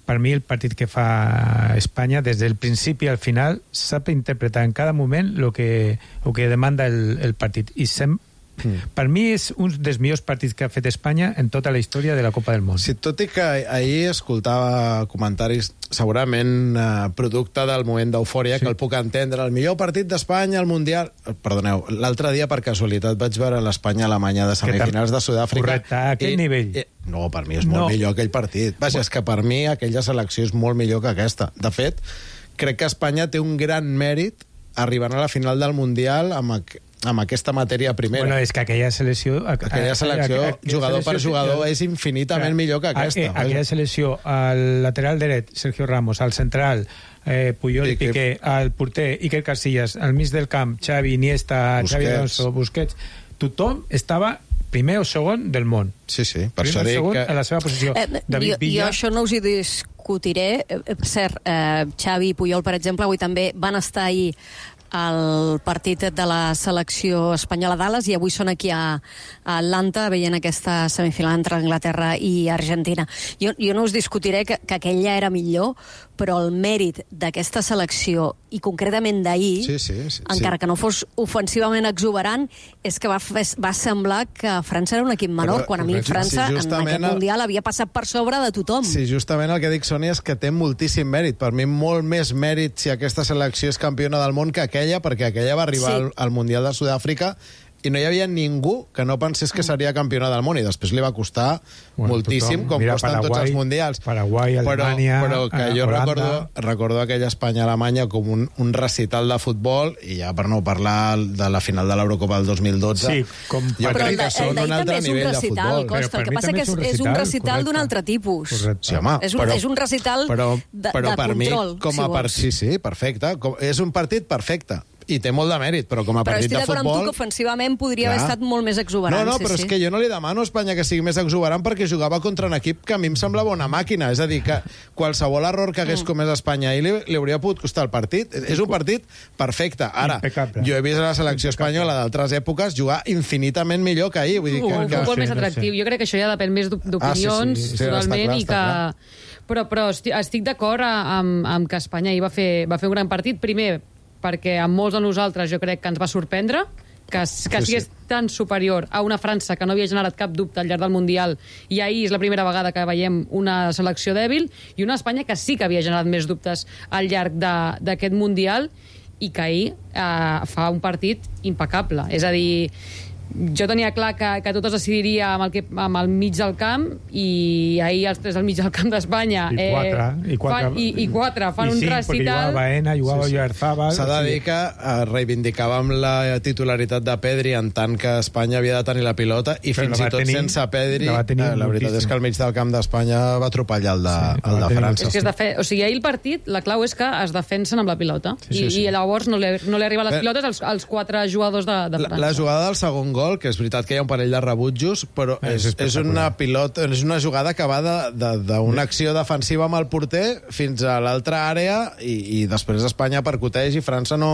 Per mi, el partit que fa Espanya, des del principi al final, sap interpretar en cada moment el que, el que demanda el, el partit. I sem Mm. Per mi és un dels millors partits que ha fet Espanya en tota la història de la Copa del Món. Sí, tot i que ahir escoltava comentaris segurament eh, producte del moment d'eufòria, sí, que el puc entendre. El millor partit d'Espanya al Mundial... Perdoneu, l'altre dia per casualitat vaig veure l'Espanya-Alemanya de semifinals de Sud-àfrica. Correcte, a aquell i, nivell. I, no, per mi és molt no. millor aquell partit. Vaja, és que per mi aquella selecció és molt millor que aquesta. De fet, crec que Espanya té un gran mèrit arribant a la final del Mundial amb... amb aquesta matèria primera. Bueno, és que aquella selecció... Aquella selecció, a, a, a, jugador selecció, per jugador, és infinitament a, millor que aquesta. A, a, aquella selecció, al lateral dret, Sergio Ramos, al central, eh, Puyol i Piqué, al porter, Iker Casillas, al mig del camp, Xavi, Iniesta, Busquets. Xavi Alonso, Busquets, tothom estava primer o segon del món. Sí, sí, per primer això dic que... a la seva posició. Eh, David jo, Villa... jo això no us hi discutiré. Eh, per cert, eh, Xavi i Puyol, per exemple, avui també van estar ahir al partit de la selecció espanyola a Dallas i avui són aquí a, a Atlanta veient aquesta semifinal entre Anglaterra i Argentina. Jo, jo no us discutiré que, que aquella era millor, però el mèrit d'aquesta selecció i concretament d'ahir, sí, sí, sí, encara sí. que no fos ofensivament exuberant, és que va, va semblar que França era un equip menor, però, quan a mi França sí, en aquest Mundial el... havia passat per sobre de tothom. Sí, justament el que dic, Sònia, és que té moltíssim mèrit. Per mi molt més mèrit si aquesta selecció és campiona del món que aquella, perquè aquella va arribar sí. al, al Mundial de Sud-àfrica i no hi havia ningú que no pensés que seria campiona del món, i després li va costar bueno, moltíssim, tothom. Com Mira, costen Paraguai, tots els mundials. Paraguai, Alemanya, però, però que jo Holanda. recordo, recordo aquella Espanya-Alemanya com un, un recital de futbol, i ja per no parlar de la final de l'Eurocopa del dos mil dotze, sí, com... jo però crec que són un altre nivell de futbol. Costa, el que passa que és, és un recital d'un altre tipus. Sí, home, és, un, però, és un recital però, de, però de per control, mi, com a si per, sí, sí, perfecte. Com, és un partit perfecte. I té molt de mèrit, però com a però partit de futbol... Però estic d'acord amb tu que ofensivament podria clar. haver estat molt més exuberant. No, no, sí, però sí. és que jo no li demano a Espanya que sigui més exuberant perquè jugava contra un equip que a mi em semblava una màquina. És a dir, que qualsevol error que hagués mm. comès Espanya i li, li hauria pogut costar el partit. És un partit perfecte. Ara, impecable. Jo he vist a la selecció espanyola d'altres èpoques jugar infinitament millor que ahir. Vull dir que, un que... futbol sí, més atractiu. No sé. Jo crec que això ja depèn més d'opinions, ah, sí, sí, sí, totalment, clar, i que... Però, però estic, estic d'acord amb, amb que Espanya ahir va fer, va fer un gran partit. Primer, perquè a molts de nosaltres jo crec que ens va sorprendre que, que sí, sigués sí. tan superior a una França que no havia generat cap dubte al llarg del Mundial, i ahir és la primera vegada que veiem una selecció dèbil, i una Espanya que sí que havia generat més dubtes al llarg d'aquest Mundial, i que ahir eh, fa un partit impecable. És a dir, jo tenia clar que, que tot es decidiria amb el, que, amb el mig del camp, i ahir els tres al mig del camp d'Espanya i quatre, eh, i quatre, fan, i, i quatre fan i un cinc, recital. Jugava Baena, jugava sí, sí. Oyarzabal. S'ha de dir que eh, reivindicàvem la titularitat de Pedri en tant que Espanya havia de tenir la pilota, i però fins i tot tenir, sense Pedri la, eh, la veritat és que al mig del camp d'Espanya va atropellar el de, sí, el de França. És que es defe... O sigui, ahir el partit, la clau és que es defensen amb la pilota, sí, sí, i, sí. i llavors no li, no li arriben les pilotes als, als quatre jugadors de, de França. La, la jugada del segon gol, que és veritat que hi ha un parell de rebutjos, però és, és, és una pilota, és una jugada que va d'una acció defensiva amb el porter fins a l'altra àrea, i, i després Espanya percuteix i França no,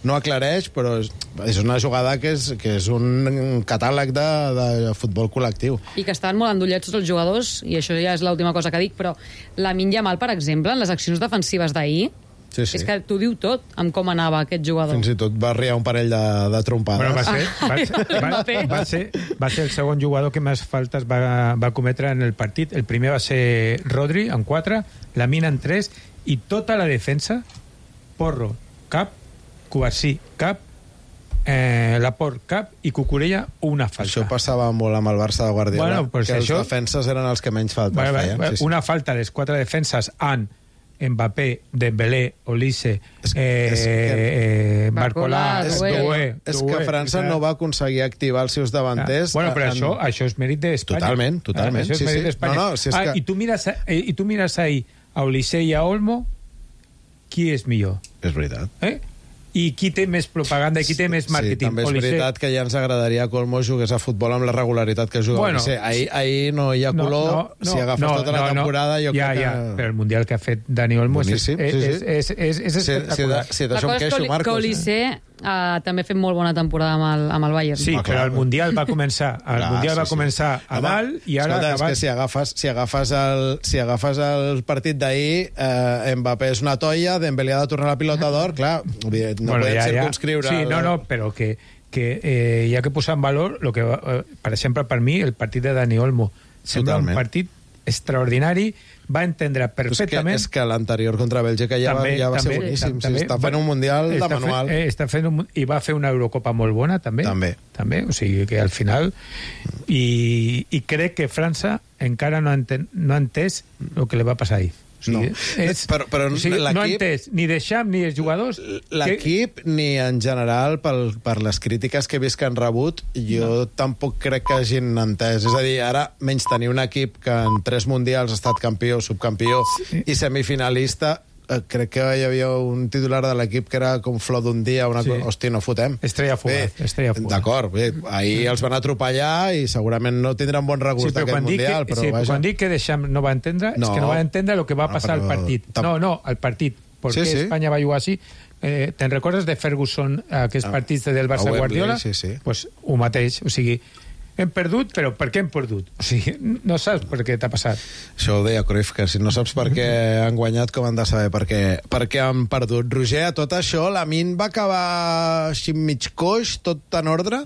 no aclareix, però és, és una jugada que és, que és un catàleg de, de futbol col·lectiu. I que estan molt endollets tots els jugadors, i això ja és l'última cosa que dic, però Lamine Yamal, per exemple, en les accions defensives d'ahir, sí, sí. és que t'ho diu tot amb com anava aquest jugador. Fins i tot va arriar un parell de, de trompades. Bueno, va, ser, va, ser, va, va, ser, va ser el segon jugador que més faltes va, va cometre en el partit. El primer va ser Rodri, en quatre, Lamine en tres, i tota la defensa, Porro, cap, Cubarsí, cap, eh, Laporte, cap, i Cucurella, una falta. Això passava molt amb el Barça de Guardiola, bueno, pues que això... els defenses eren els que menys faltes bueno, feien. Sí, sí. Una falta de les quatre defenses en Mbappé, Dembélé, Olise, eh, eh, Barcolà, Doué. És que França no va aconseguir activar els seus davanters. Ah, bueno, però en... això, això és mèrit d'Espanya. Totalment, totalment. Ah, això és sí, mèrit sí. d'Espanya. No, no, si és ah, que... i, tu mires, eh, I tu mires ahí a Olise i a Olmo, qui és millor? És veritat. Eh? i qui té més propaganda i qui té més màrqueting. Sí, també és Olise... veritat que ja ens agradaria que Olmo jugués a futbol amb la regularitat que juga bueno, Olise. Ahir, ahir no hi ha color, no, no, no, si agafes no, tota la no, temporada, jo ja, crec que... Ja, però el Mundial que ha fet Dani Olmo és, és, sí, sí. és, és, és, és espectacular. Si, si, si d'això em queixo, Marcos. Que Olise eh? uh, també ha fet molt bona temporada amb el, amb el Bayern. Sí, ah, però el Mundial va començar, el clar, Mundial sí, va començar sí. a dalt i ara... Escolta, acabat... és que si agafes, si agafes, el, si agafes el partit d'ahir, eh, Mbappé és una toia, Dembélé ha de tornar la pilota d'or, clar, no bueno, podem ja, circunscriure... Ja. Sí, no, no, però que, que eh, hi ha que posar en valor, lo que, eh, per exemple, per mi, el partit de Dani Olmo. Sembla un partit extraordinari, va entendre perfectament... És que, que l'anterior contra Bèlgica ja, també, va, ja va també, ser boníssim. També, sí, està fent un Mundial de manual. Fent, eh, està fent un, I va fer una Eurocopa molt bona, també. També. també o sigui que al final... I, i crec que França encara no ha, enten, no ha entès el que li va passar ahir. O sigui, no. és, però, però o sigui, no ha entès ni Deschamps ni els jugadors... L'equip, que... ni en general, pel, per les crítiques que he vist que han rebut, jo no. tampoc crec que hagin entès. És a dir, ara menys tenir un equip que en tres mundials ha estat campió, subcampió sí. i semifinalista... crec que hi havia un titular de l'equip que era com flor d'un dia, una sí. cosa... Hosti, no fotem. Estrella fugaz. D'acord, ahir els van atropellar i segurament no tindran bon regust sí, d'aquest Mundial, que, però sí, vaja. Quan dic que Deschamps no va entendre, no. és que no va entendre el que va passar no, al partit. No, no, al partit. Per què sí, sí. Espanya va jugar així? Eh, Te'n recordes de Ferguson, aquests ah. partits del Barça Guardiola? Sí, sí. Pues ho mateix, o sigui... Hem perdut, però per què hem perdut? O sigui, no saps per què t'ha passat. Això ho deia Cruyff, que si no saps per què han guanyat, com han de saber per què, per què han perdut. Roger, a tot això, Lamine va acabar així mig coix, tot en ordre?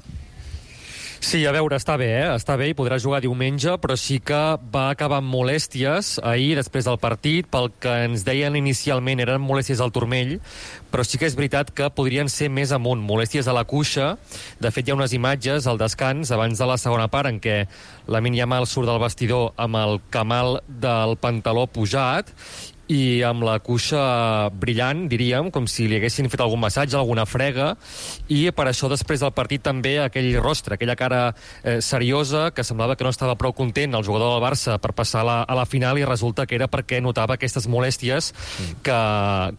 Sí, a veure, està bé, eh? Està bé i podrà jugar diumenge, però sí que va acabar amb molèsties ahir, després del partit, pel que ens deien inicialment eren molèsties al turmell, però sí que és veritat que podrien ser més amunt, molèsties a la cuixa. De fet, hi ha unes imatges al descans, abans de la segona part, en què Lamine Yamal surt del vestidor amb el camal del pantaló pujat, i amb la cuixa brillant, diríem, com si li haguessin fet algun massatge, alguna frega, i per això després del partit també aquell rostre, aquella cara eh, seriosa, que semblava que no estava prou content el jugador del Barça per passar a la, a la final, i resulta que era perquè notava aquestes molèsties que,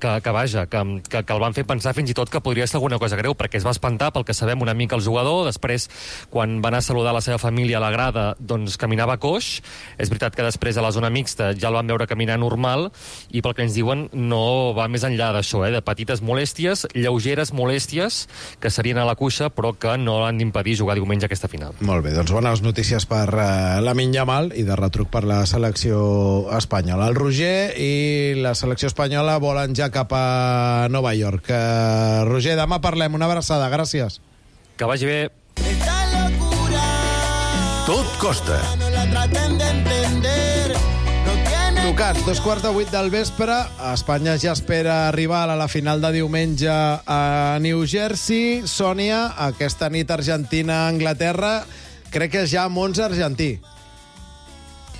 que, que vaja, que, que, que el van fer pensar fins i tot que podria ser alguna cosa greu, perquè es va espantar, pel que sabem, una mica el jugador. Després, quan va anar a saludar la seva família a la grada, doncs caminava coix. És veritat que després a la zona mixta ja el van veure caminar normal, i pel que ens diuen no va més enllà d'això, eh? de petites molèsties, lleugeres molèsties, que serien a la cuixa, però que no l'han d'impedir jugar diumenge aquesta final. Molt bé, doncs bones notícies per uh, Lamine Yamal i de retruc per la selecció espanyola. El Roger i la selecció espanyola volen ja cap a Nova York. Uh, Roger, demà parlem. Una abraçada, gràcies. Que vagi bé. Tot costa. Tocats, dos quarts de vuit del vespre. Espanya ja espera arribar a la final de diumenge a New Jersey. Sònia, aquesta nit Argentina-Anglaterra, crec que és ja amb onze argentí.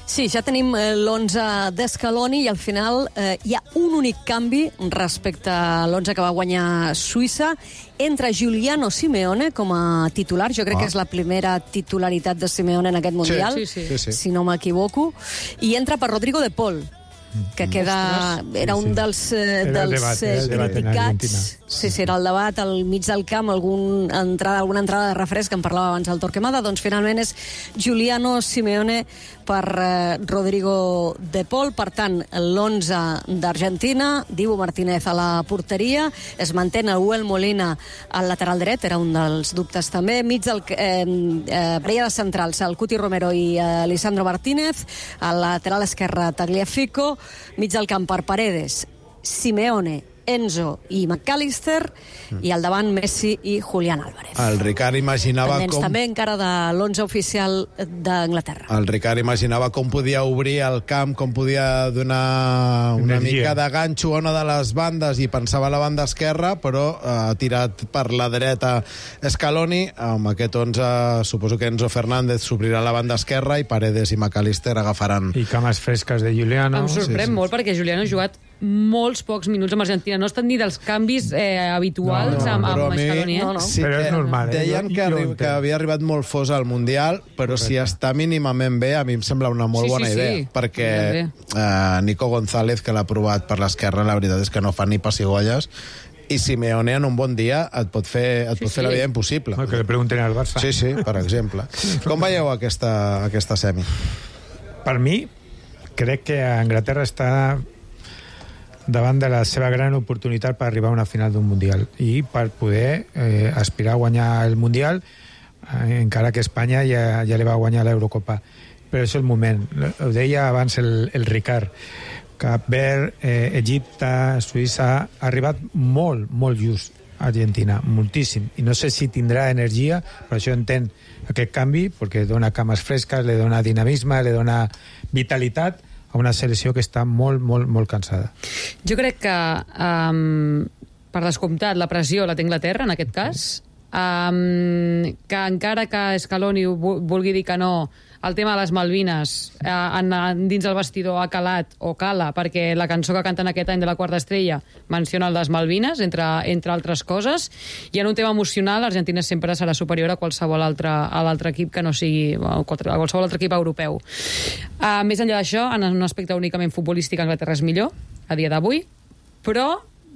Sí, ja tenim l'onze d'Escaloni i al final eh, hi ha un únic canvi respecte a l'onze que va guanyar Suïssa. Entra Giuliano Simeone com a titular. Jo crec ah. que és la primera titularitat de Simeone en aquest Mundial, sí, sí, sí. si, si no m'equivoco. I entra per Rodrigo de Paul, que queda... Era un dels, eh, dels debat, eh, criticats. Sí, sí, era el debat al mig del camp, algun entrada, alguna entrada de refresc, que en parlava abans el Torquemada. Doncs finalment és Giuliano Simeone per eh, Rodrigo de Paul. Per tant, l'onze d'Argentina, Dibu Martínez a la porteria, es mantén el Huel Molina al lateral dret, era un dels dubtes també, mig del eh, eh, parella de centrals, el Cuti Romero i eh, Lisandro Martínez, al lateral esquerre Tagliafico, mig del camp per Paredes, Simeone, Enzo i McAllister, i al davant Messi i Julián Álvarez. El Ricard imaginava Pendents com... també encara de l'onze oficial d'Anglaterra. El Ricard imaginava com podia obrir el camp, com podia donar una Energia. mica de ganxo a una de les bandes, i pensava a la banda esquerra, però ha eh, tirat per la dreta Scaloni. Amb aquest onze suposo que Enzo Fernández s'obrirà a la banda esquerra i Paredes i McAllister agafaran... I cames fresques de Giuliano. Em sorprèn sí, sí. molt perquè Giuliano ha jugat molts pocs minuts amb Argentina. No ha estat ni dels canvis eh, habituals no, no, amb, amb Scaloni. Eh? No, no. Sí, però és normal. Eh? Deien que, arri que havia arribat molt fos al Mundial, però Correcte. Si està mínimament bé, a mi em sembla una molt sí, bona sí, idea. Sí. Perquè eh, Nico González, que l'ha provat per l'esquerra, la veritat és que no fa ni pessigolles, I Simeone en un bon dia et pot fer, et Sí, pot fer sí. la vida impossible. No, que li pregunten al Barça. Sí, sí, per exemple. Com veieu aquesta, aquesta semi? Per mi, crec que Anglaterra està davant de la seva gran oportunitat per arribar a una final d'un Mundial i per poder eh, aspirar a guanyar el Mundial, eh, encara que Espanya ja, ja li va guanyar l'Eurocopa. Però és el moment. Ho deia abans el, el Ricard. Cap Verd, eh, Egipte, Suïssa, ha arribat molt, molt just Argentina, moltíssim. I no sé si tindrà energia, per això entenc aquest canvi, perquè dona cames fresques, li dona dinamisme, li dona vitalitat a una selecció que està molt, molt, molt cansada. Jo crec que, um, per descomptat, la pressió la té Anglaterra, en aquest cas, um, que encara que Scaloni vulgui dir que no, el tema de les Malvines eh, en, en, dins el vestidor ha calat o cala, perquè la cançó que canten aquest any de la Quarta Estrella menciona les Malvines, entre, entre altres coses, i en un tema emocional Argentina sempre serà superior a qualsevol altre, a l'altre equip que no sigui a qualsevol altre equip europeu. Uh, més enllà d'això, en un aspecte únicament futbolístic, Anglaterra és millor a dia d'avui, però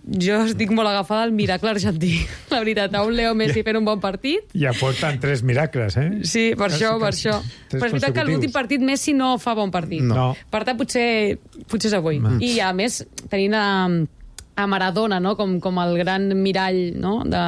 jo estic molt agafada al miracle argentí. La veritat, a un Leo Messi fent un bon partit. I aporten tres miracles, eh? Sí, per això, per això. Però és veritat que l'últim partit Messi no fa bon partit. No. Per tant, potser, potser és avui. No. I, a més, tenint a, a Maradona, no? com, com el gran mirall, no? de,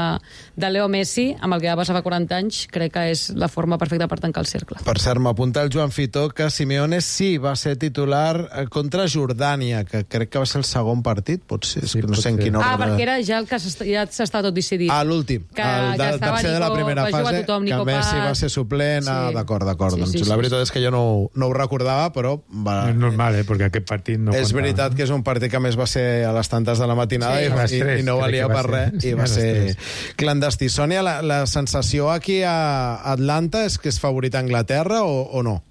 de Leo Messi, amb el que va passar fa quaranta anys, crec que és la forma perfecta per tancar el cercle. Per cert, m'apunta el Joan Fitó que Simeone sí va ser titular contra Jordània, que crec que va ser el segon partit, potser, és Sí, que no sé en potser. quin ordre. Ah, perquè era ja el que s'està, ja s'està tot decidit. Ah, l'últim, Que- el que del estava tercer de la Nico- primera va jugar fase, tothom, que Nico Messi Paz. va ser suplent. Sí. Ah, d'acord, d'acord. Sí, Doncs sí, la sí, veritat sí. és que jo no, ho- no ho recordava, però va, És normal, eh? Perquè aquest partit no és comptava. veritat que és un partit que a més va ser a les tantes de la matinada Sí, i, a les i, tres, i no crec valia que va per ser. res, Sí, i a va les ser tres. clandestí. Sònia, la, la sensació aquí a Atlanta és que és favorita Anglaterra o, o no?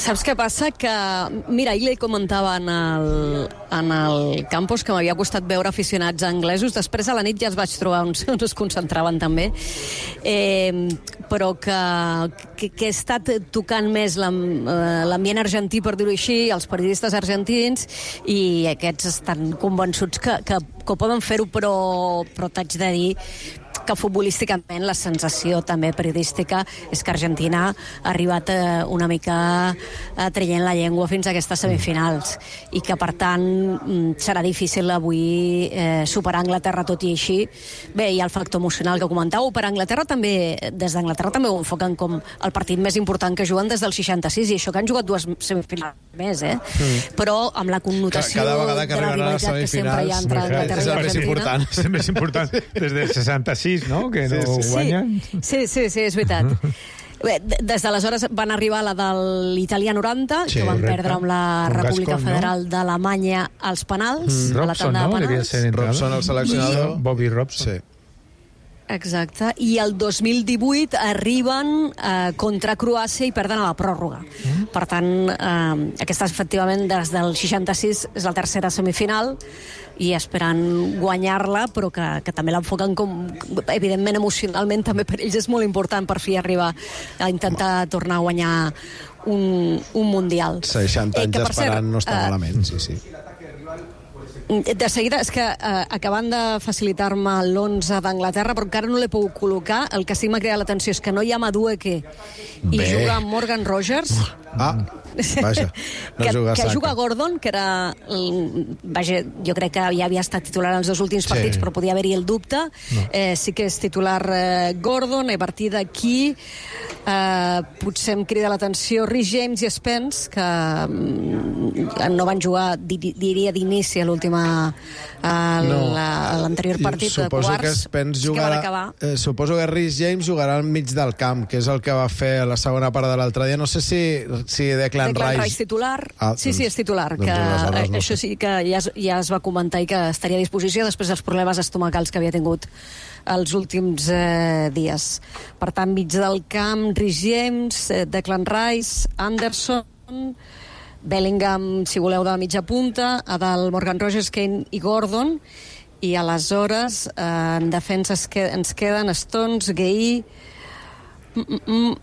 Saps què passa? Que, mira, ahir li comentava en el, en el campus que m'havia costat veure aficionats anglesos. Després a la nit ja es vaig trobar uns, uns es concentraven també. Eh, però que, que, que he estat tocant més l'am- eh, l'ambient argentí, per dir-ho així, els periodistes argentins, i aquests estan convençuts que, que, que ho poden fer-ho, però, però t'haig de dir que futbolísticament la sensació també periodística és que Argentina ha arribat eh, una mica eh, traient la llengua fins a aquestes semifinals i que per tant mm, serà difícil avui eh, superar Anglaterra tot i així. Bé, hi ha el factor emocional que comentàveu, per Anglaterra també, des d'Anglaterra també ho enfoquen com el partit més important que juguen des del seixanta-sis, i això que han jugat dues semifinals més, eh? Mm. Però amb la connotació Cada vegada que de la arriben a les rivalitat que sempre hi ha entre semifinals, Anglaterra és i el més Argentina. important. És el més important des del seixanta-sis, no? Que no Sí, sí. guanyen. Sí, sí, sí, és veritat. Bé, d- des d'aleshores van arribar a la de l'Itàlia noranta, Sí, que van correcte. perdre amb la Con República Gascon, no? Federal d'Alemanya als penals, a la Robson, tanda no? de Devia penals. ser entrenador. Robson, el seleccionador. Bobby Robson. Sí. Exacte. I el dos mil divuit arriben eh, contra Croàcia i perden a la pròrroga. Mm. Per tant, eh, aquesta efectivament des del seixanta-sis és la tercera semifinal i esperant guanyar-la, però que, que també l'enfoquen com, evidentment, emocionalment també per ells és molt important per fi arribar a intentar tornar a guanyar un, un Mundial. seixanta anys que, per esperant cert, no està eh, malament, sí, sí. De seguida, és que eh, acabant de facilitar-me l'onze d'Anglaterra, però encara no l'he pogut col·locar, el que sí que m'ha cridat l'atenció és que no hi ha Madueke i Bé. juga Morgan Rogers. Ah, vaja, no que, juga que Saka. juga Gordon, que era... el- Vaja, jo crec que ja havia estat titular en els dos últims Sí. partits, però podia haver-hi el dubte. No. Eh, sí que és titular eh, Gordon, i a partir d'aquí eh, potser em crida l'atenció Rhys James i Spence, que mm, no van jugar, di, diria, d'inici a l'última... a No. la- a l'anterior partit de Suposo quarts. que Spence sí que van jugarà, acabar. eh, suposo que Rhys James jugarà al mig del camp, que és el que va fer a la segona part de l'altre dia. No sé si, si Declan, Declan Rice... Rice titular. Ah, sí, sí, doncs- és titular. doncs que, aleshores no això sé. sí que ja es, ja es va comentar i que estaria a disposició després dels problemes estomacals que havia tingut els últims eh, dies. Per tant, mig del camp, Rhys James, eh, Declan Rice, Anderson, Bellingham, si voleu, de la mitja punta, a dalt Morgan Rogers, Kane i Gordon, i aleshores eh, en defensa es que, ens queden Stones, Gueye, mm, mm, mm,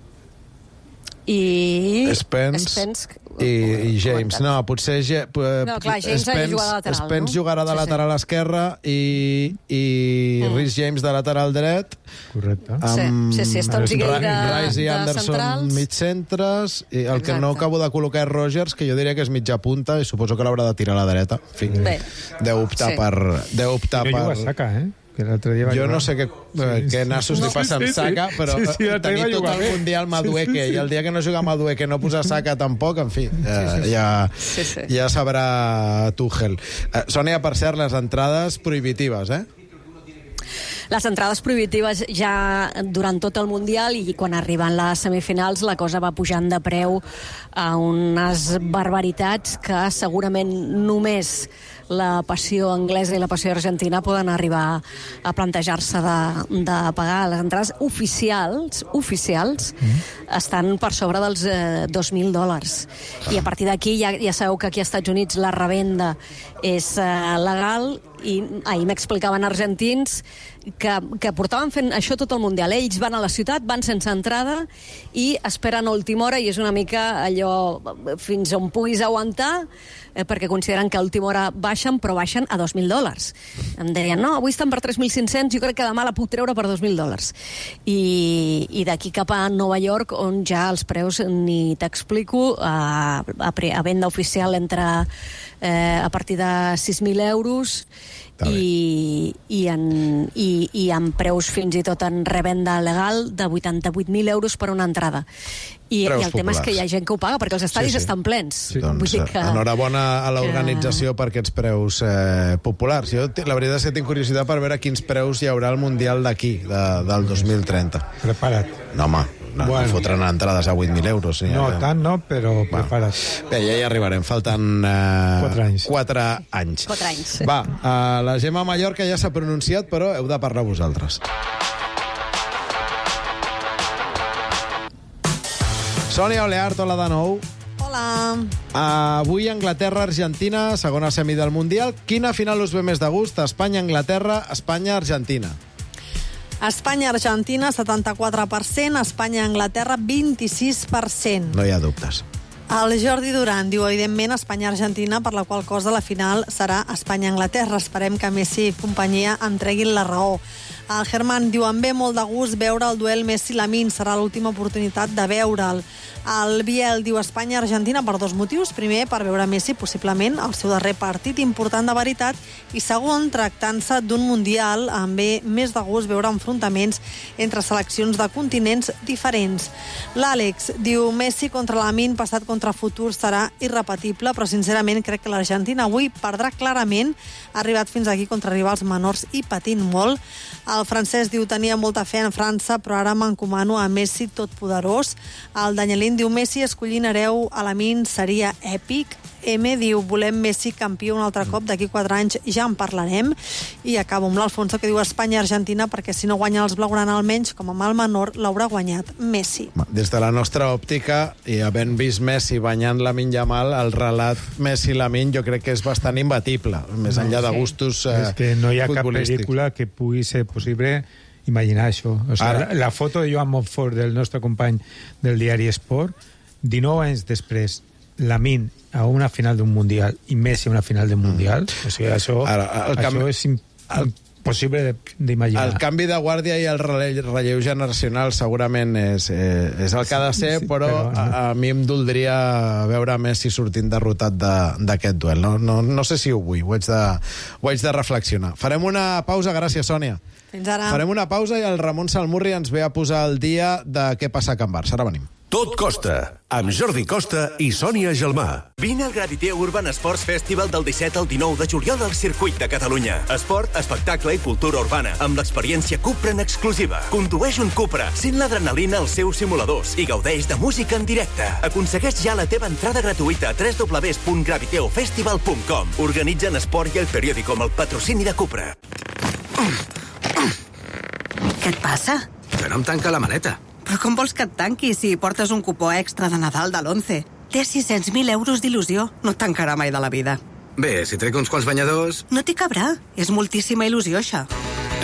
i Spence. Spence I, i James. No, potser... No, clar, James ha de jugar de lateral, Spence no? jugarà de Sí, lateral sí. esquerre i, i Mm. Rhys James de lateral dret. Correcte. Amb Sí, sí, sí, Stones i Gay de- Rice i de Anderson centrals. mig centres. I el que Exacte. no acabo de col·locar és Rogers, que jo diria que és mitja punta i suposo que l'haurà de tirar a la dreta. En fi, Bé. deu optar Sí. per... Deu optar I no per... juga Saka, eh? Que l'altre dia va Jo jugar. no sé què, eh, què nassos li passa amb Saka, però sí, sí, eh, tenir tot el Mundial Madueke i el dia que no juga Madueke no posar Saka tampoc, en fi, eh, ja, Sí, sí. ja sabrà Tuchel. Eh, Sònia, per cert, les entrades prohibitives, eh? Les entrades prohibitives ja durant tot el Mundial i quan arriben les semifinals la cosa va pujant de preu a unes barbaritats que segurament només la passió anglesa i la passió argentina poden arribar a plantejar-se de, de pagar. Les entrades oficials oficials mm. estan per sobre dels eh, dos mil dòlars. I a partir d'aquí ja, ja sabeu que aquí als Estats Units la revenda és eh, legal i ahir m'explicaven argentins que, que portaven fent això tot el Mundial. Ells van a la ciutat, van sense entrada i esperen a última hora i és una mica allò fins on puguis aguantar eh, perquè consideren que a última hora baixen, però baixen a dos mil dòlars. Em deien, no, avui estan per tres mil cinc-cents, jo crec que demà la puc treure per dos mil dòlars. I, i d'aquí cap a Nova York, on ja els preus ni t'explico, a, a, a venda oficial entre eh, a partir de sis mil euros i, i, en, i, i amb preus fins i tot en revenda legal de vuitanta-vuit mil euros per una entrada. I, Preus i el tema és populars. que hi ha gent que ho paga perquè els estadis Sí, sí. estan plens. Sí. Doncs, que... enhorabona a l'organització que... per aquests preus eh, populars. Jo, la veritat és que tinc curiositat per veure quins preus hi haurà al Mundial d'aquí, de, del dos mil trenta. Prepara't. No, home, no, bueno. no fotran entrades a vuit mil euros. Sí, no, ja. tant no, però bueno. Prepara't. Bé, ja hi arribarem. Falten eh, quatre anys. Quatre anys. Quatre anys. Va, eh, la Gemma Mallorca ja s'ha pronunciat, però heu de parlar vosaltres. Sònia Oleart, hola de nou. Hola. Uh, avui Anglaterra-Argentina, segona semi del Mundial. Quina final us ve més de gust? Espanya-Anglaterra, Espanya-Argentina. Espanya-Argentina, setanta-quatre per cent. Espanya-Anglaterra, vint-i-sis per cent. No hi ha dubtes. El Jordi Duran diu, evidentment, Espanya-Argentina, per la qual cosa la final serà Espanya-Anglaterra. Esperem que Messi i companyia en treguin la raó. El Germán diu, em ve molt de gust veure el duel Messi-Lamine, serà l'última oportunitat de veure'l. El Biel diu, Espanya-Argentina per dos motius. Primer, per veure Messi, possiblement, el seu darrer partit important de veritat, i segon, tractant-se d'un Mundial, em ve més de gust veure enfrontaments entre seleccions de continents diferents. L'Àlex diu, Messi contra Lamine, passat contra futur, serà irrepetible, però sincerament crec que l'Argentina avui perdrà clarament, ha arribat fins aquí contra rivals menors i patint molt. El francès diu, tenia molta fe en França, però ara m'encomano a Messi totpoderós. El Danielín diu, Messi escollint hereu a Lamine seria èpic. M diu, volem Messi campió un altre cop, d'aquí quatre anys ja en parlarem. I acabo amb l'Alfonso, que diu Espanya-Argentina, perquè si no guanya els blaugrana almenys, com a mal menor, l'haurà guanyat Messi. Des de la nostra òptica, i havent vist Messi banyant Lamine Yamal, el relat Messi-Lamine jo crec que és bastant imbatible, més enllà de gustos eh, és que no hi ha cap futbolístics. pel·lícula que pugui ser possible imaginar això. O sigui, la, la foto de Joan Montfort, del nostre company del diari Esport, dinou anys després, Lamine a una final d'un Mundial i Messi a una final d'un Mundial, mm. o sigui, això, Ara, el això canvi, és impossible d'imaginar. El canvi de guàrdia i el relleu, relleu generacional segurament és, eh, és el que ha de ser, sí, sí, però, però no. a, a mi em doldria veure Messi sortint derrotat d'aquest duel. No, no, no sé si ho vull, ho haig, de, ho haig de reflexionar. Farem una pausa, gràcies, Sònia. Fins ara. Farem una pausa i el Ramon Salmurri ens ve a posar el dia de què passa a Can Barça. Ara venim. Tot Costa, amb Jordi Costa i Sònia Gelmà. Vine al Graviteo Urban Sports Festival del disset al dinou de juliol al Circuit de Catalunya. Esport, espectacle i cultura urbana, amb l'experiència Cupra en exclusiva. Condueix un Cupra, sent l'adrenalina als seus simuladors i gaudeix de música en directe. Aconsegueix ja la teva entrada gratuïta a w w w punt graviteo festival punt com. Organitzen Esport i el periòdico amb el patrocini de Cupra. Què et passa? Que no em tanca la maleta. Però com vols que et tanqui si portes un cupó extra de Nadal de l'onze? Té sis-cents mil euros d'il·lusió. No et tancarà mai de la vida. Bé, si trec uns quants banyadors... No t'hi cabrà. És moltíssima il·lusió, això.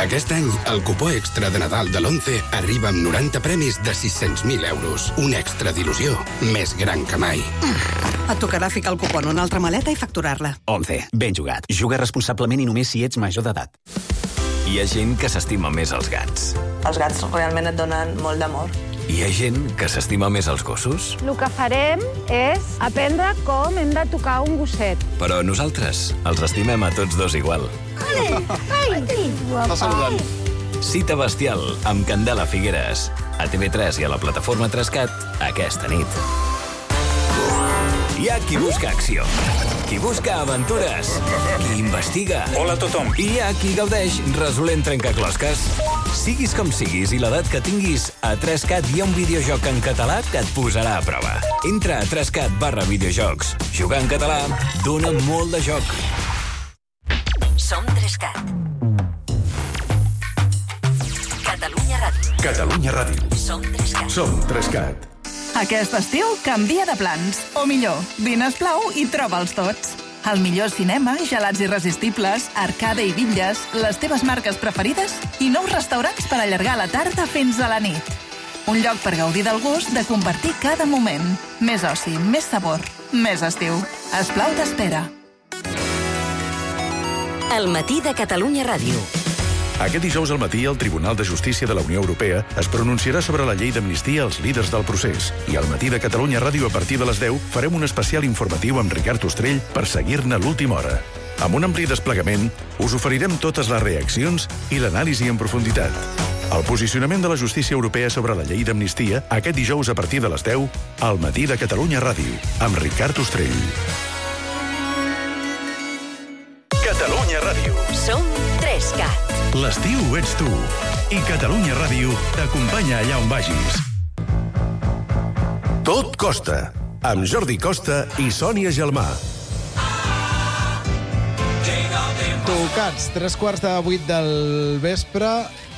Aquest any, el cupó extra de Nadal de l'Once arriba amb noranta premis de sis-cents mil euros. Un extra d'il·lusió més gran que mai. Et tocarà ficar el cupó en una altra maleta i facturar-la. Once, ben jugat. Juga responsablement i només si ets major d'edat. Hi ha gent que s'estima més els gats. Els gats realment et donen molt d'amor. Hi ha gent que s'estima més els gossos. El que farem és aprendre com hem de tocar un gosset. Però nosaltres els estimem a tots dos igual. Ai, ai, Està saludant. Cita bestial amb Candela Figueres. A T V tres i a la plataforma Trescat aquesta nit. Hi ha qui busca acció, qui busca aventures, qui investiga. Hola a tothom. I hi ha qui gaudeix resolent trencaclosques. Siguis com siguis i l'edat que tinguis, a Trescat hi ha un videojoc en català que et posarà a prova. Entra a Trescat barra videojocs. Jugar en català dona molt de joc. Som Trescat. Catalunya Ràdio. Catalunya Ràdio. Som Trescat. Som Trescat. Aquest estiu canvia de plans. O millor, vine esclau i troba'ls tots. El millor cinema, gelats irresistibles, arcade i bitlles, les teves marques preferides i nous restaurants per allargar la tarda fins a la nit. Un lloc per gaudir del gust de compartir cada moment. Més oci, més sabor, més estiu. Esplau t'espera. El matí de Catalunya Ràdio. Aquest dijous al matí, el Tribunal de Justícia de la Unió Europea es pronunciarà sobre la llei d'amnistia als líders del procés. I al matí de Catalunya Ràdio, a partir de les deu, farem un especial informatiu amb Ricard Ostrell per seguir-ne l'última hora. Amb un ampli desplegament, us oferirem totes les reaccions i l'anàlisi en profunditat. El posicionament de la justícia europea sobre la llei d'amnistia, aquest dijous a partir de les deu, al matí de Catalunya Ràdio, amb Ricard Ostrell. Catalunya Ràdio. Som Trescat. L'estiu ets tu. I Catalunya Ràdio t'acompanya allà on vagis. Tot costa. Amb Jordi Costa i Sònia Gelmà. Tocats, tres quarts de vuit del vespre.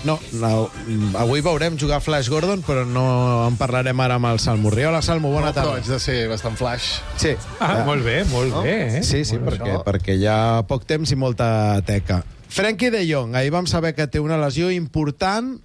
No, no, avui veurem jugar Flash Gordon, però no en parlarem ara amb el Salmo. Hola, Salmo, bona no, tarda. Però haig de ser bastant flash. Sí. Ah, ja. Molt bé, molt no? bé. Eh? Sí, sí, molt perquè, perquè hi ha poc temps i molta teca. Frenkie de Jong, ahir vam saber que té una lesió important,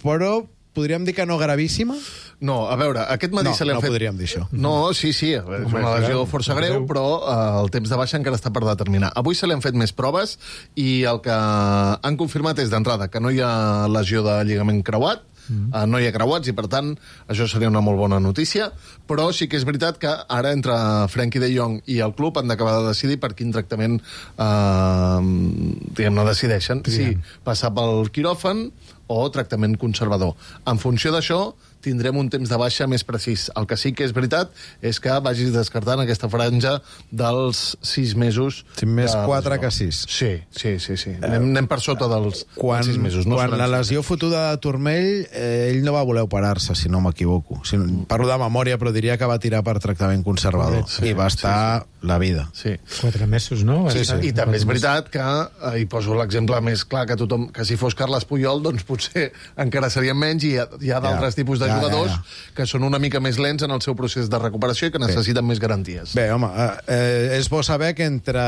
però podríem dir que no gravíssima? No, a veure, aquest matí no, se li han no fet... No podríem dir això. No, sí, sí, és una lesió força greu, però uh, el temps de baixa encara està per determinar. Avui se li han fet més proves i el que han confirmat és d'entrada que no hi ha lesió de lligament creuat, Mm. Uh, no hi ha creuats i, per tant, això seria una molt bona notícia, però sí que és veritat que ara entre Frenkie de Jong i el club han d'acabar de decidir per quin tractament uh, diguem-ne decideixen, sí. si passar pel quiròfan o tractament conservador. En funció d'això, tindrem un temps de baixa més precís. El que sí que és veritat és que vagis descartant aquesta franja dels sis mesos. Sí, més quatre que sis. Sí, sí, sí. sí. Anem, anem per sota dels, quan, dels sis mesos. No quan la lesió fotuda de turmell, eh, ell no va voler operar-se, si no m'equivoco. Si no, parlo de memòria, però diria que va tirar per tractament conservador. Sí, I va estar sí, sí. la vida. Sí. Quatre mesos, no? Sí, sí. I també és veritat que, eh, hi poso l'exemple més clar que tothom, que si fos Carles Puyol, doncs potser encara serien menys, i hi ha, hi ha d'altres ja. tipus de jugadors ja, ja, ja. que són una mica més lents en el seu procés de recuperació i que necessiten Bé. més garanties. Bé, home, eh, és bo saber que entre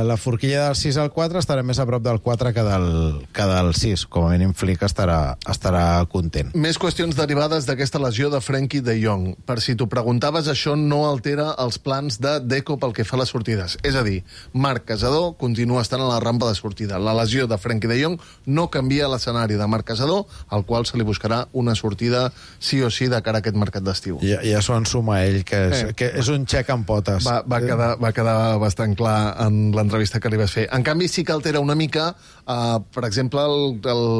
la forquilla del sis al quatre estarem més a prop del quatre que del, que del sis. Com a mínim Flick estarà, estarà content. Més qüestions derivades d'aquesta lesió de Frenkie de Jong. Per si t'ho preguntaves, això no altera els plans de Deco pel que fa a les sortides. És a dir, Marc Casador continua estant a la rampa de sortida. La lesió de Frenkie de Jong no canvia l'escenari de Marc Casador, al qual se li buscarà una sortida sí o sí de cara a aquest mercat d'estiu. Ja, ja s'ho ensuma ell, que és, eh. que és un xec en potes. Va, va, quedar, va quedar bastant clar en l'entrevista que li vas fer. En canvi, sí que altera una mica, uh, per exemple,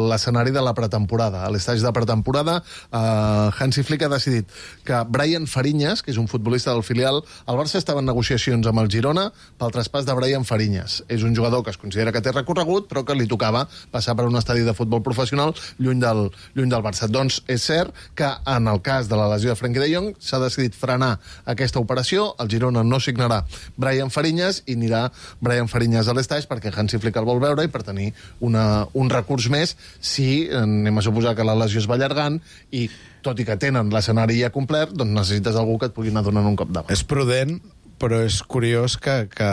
l'escenari de la pretemporada. A l'estatge de pretemporada, uh, Hansi Flick ha decidit que Brian Fariñas, que és un futbolista del filial, el Barça estava en negociacions amb el Girona pel traspàs de Brian Fariñas. És un jugador que es considera que té recorregut, però que li tocava passar per un estadi de futbol professional lluny del, lluny del Barça. Doncs és cert que en el cas de la lesió de Frenkie de Jong s'ha decidit frenar aquesta operació, el Girona no signarà Brian Fariñas i anirà Brian Fariñas a l'estaix perquè Hansi Flick el vol veure i per tenir una, un recurs més si anem a suposar que la lesió es va allargant i tot i que tenen l'escenari ja complert, doncs necessites algú que et pugui anar donant un cop de mà. És prudent, però és curiós que, que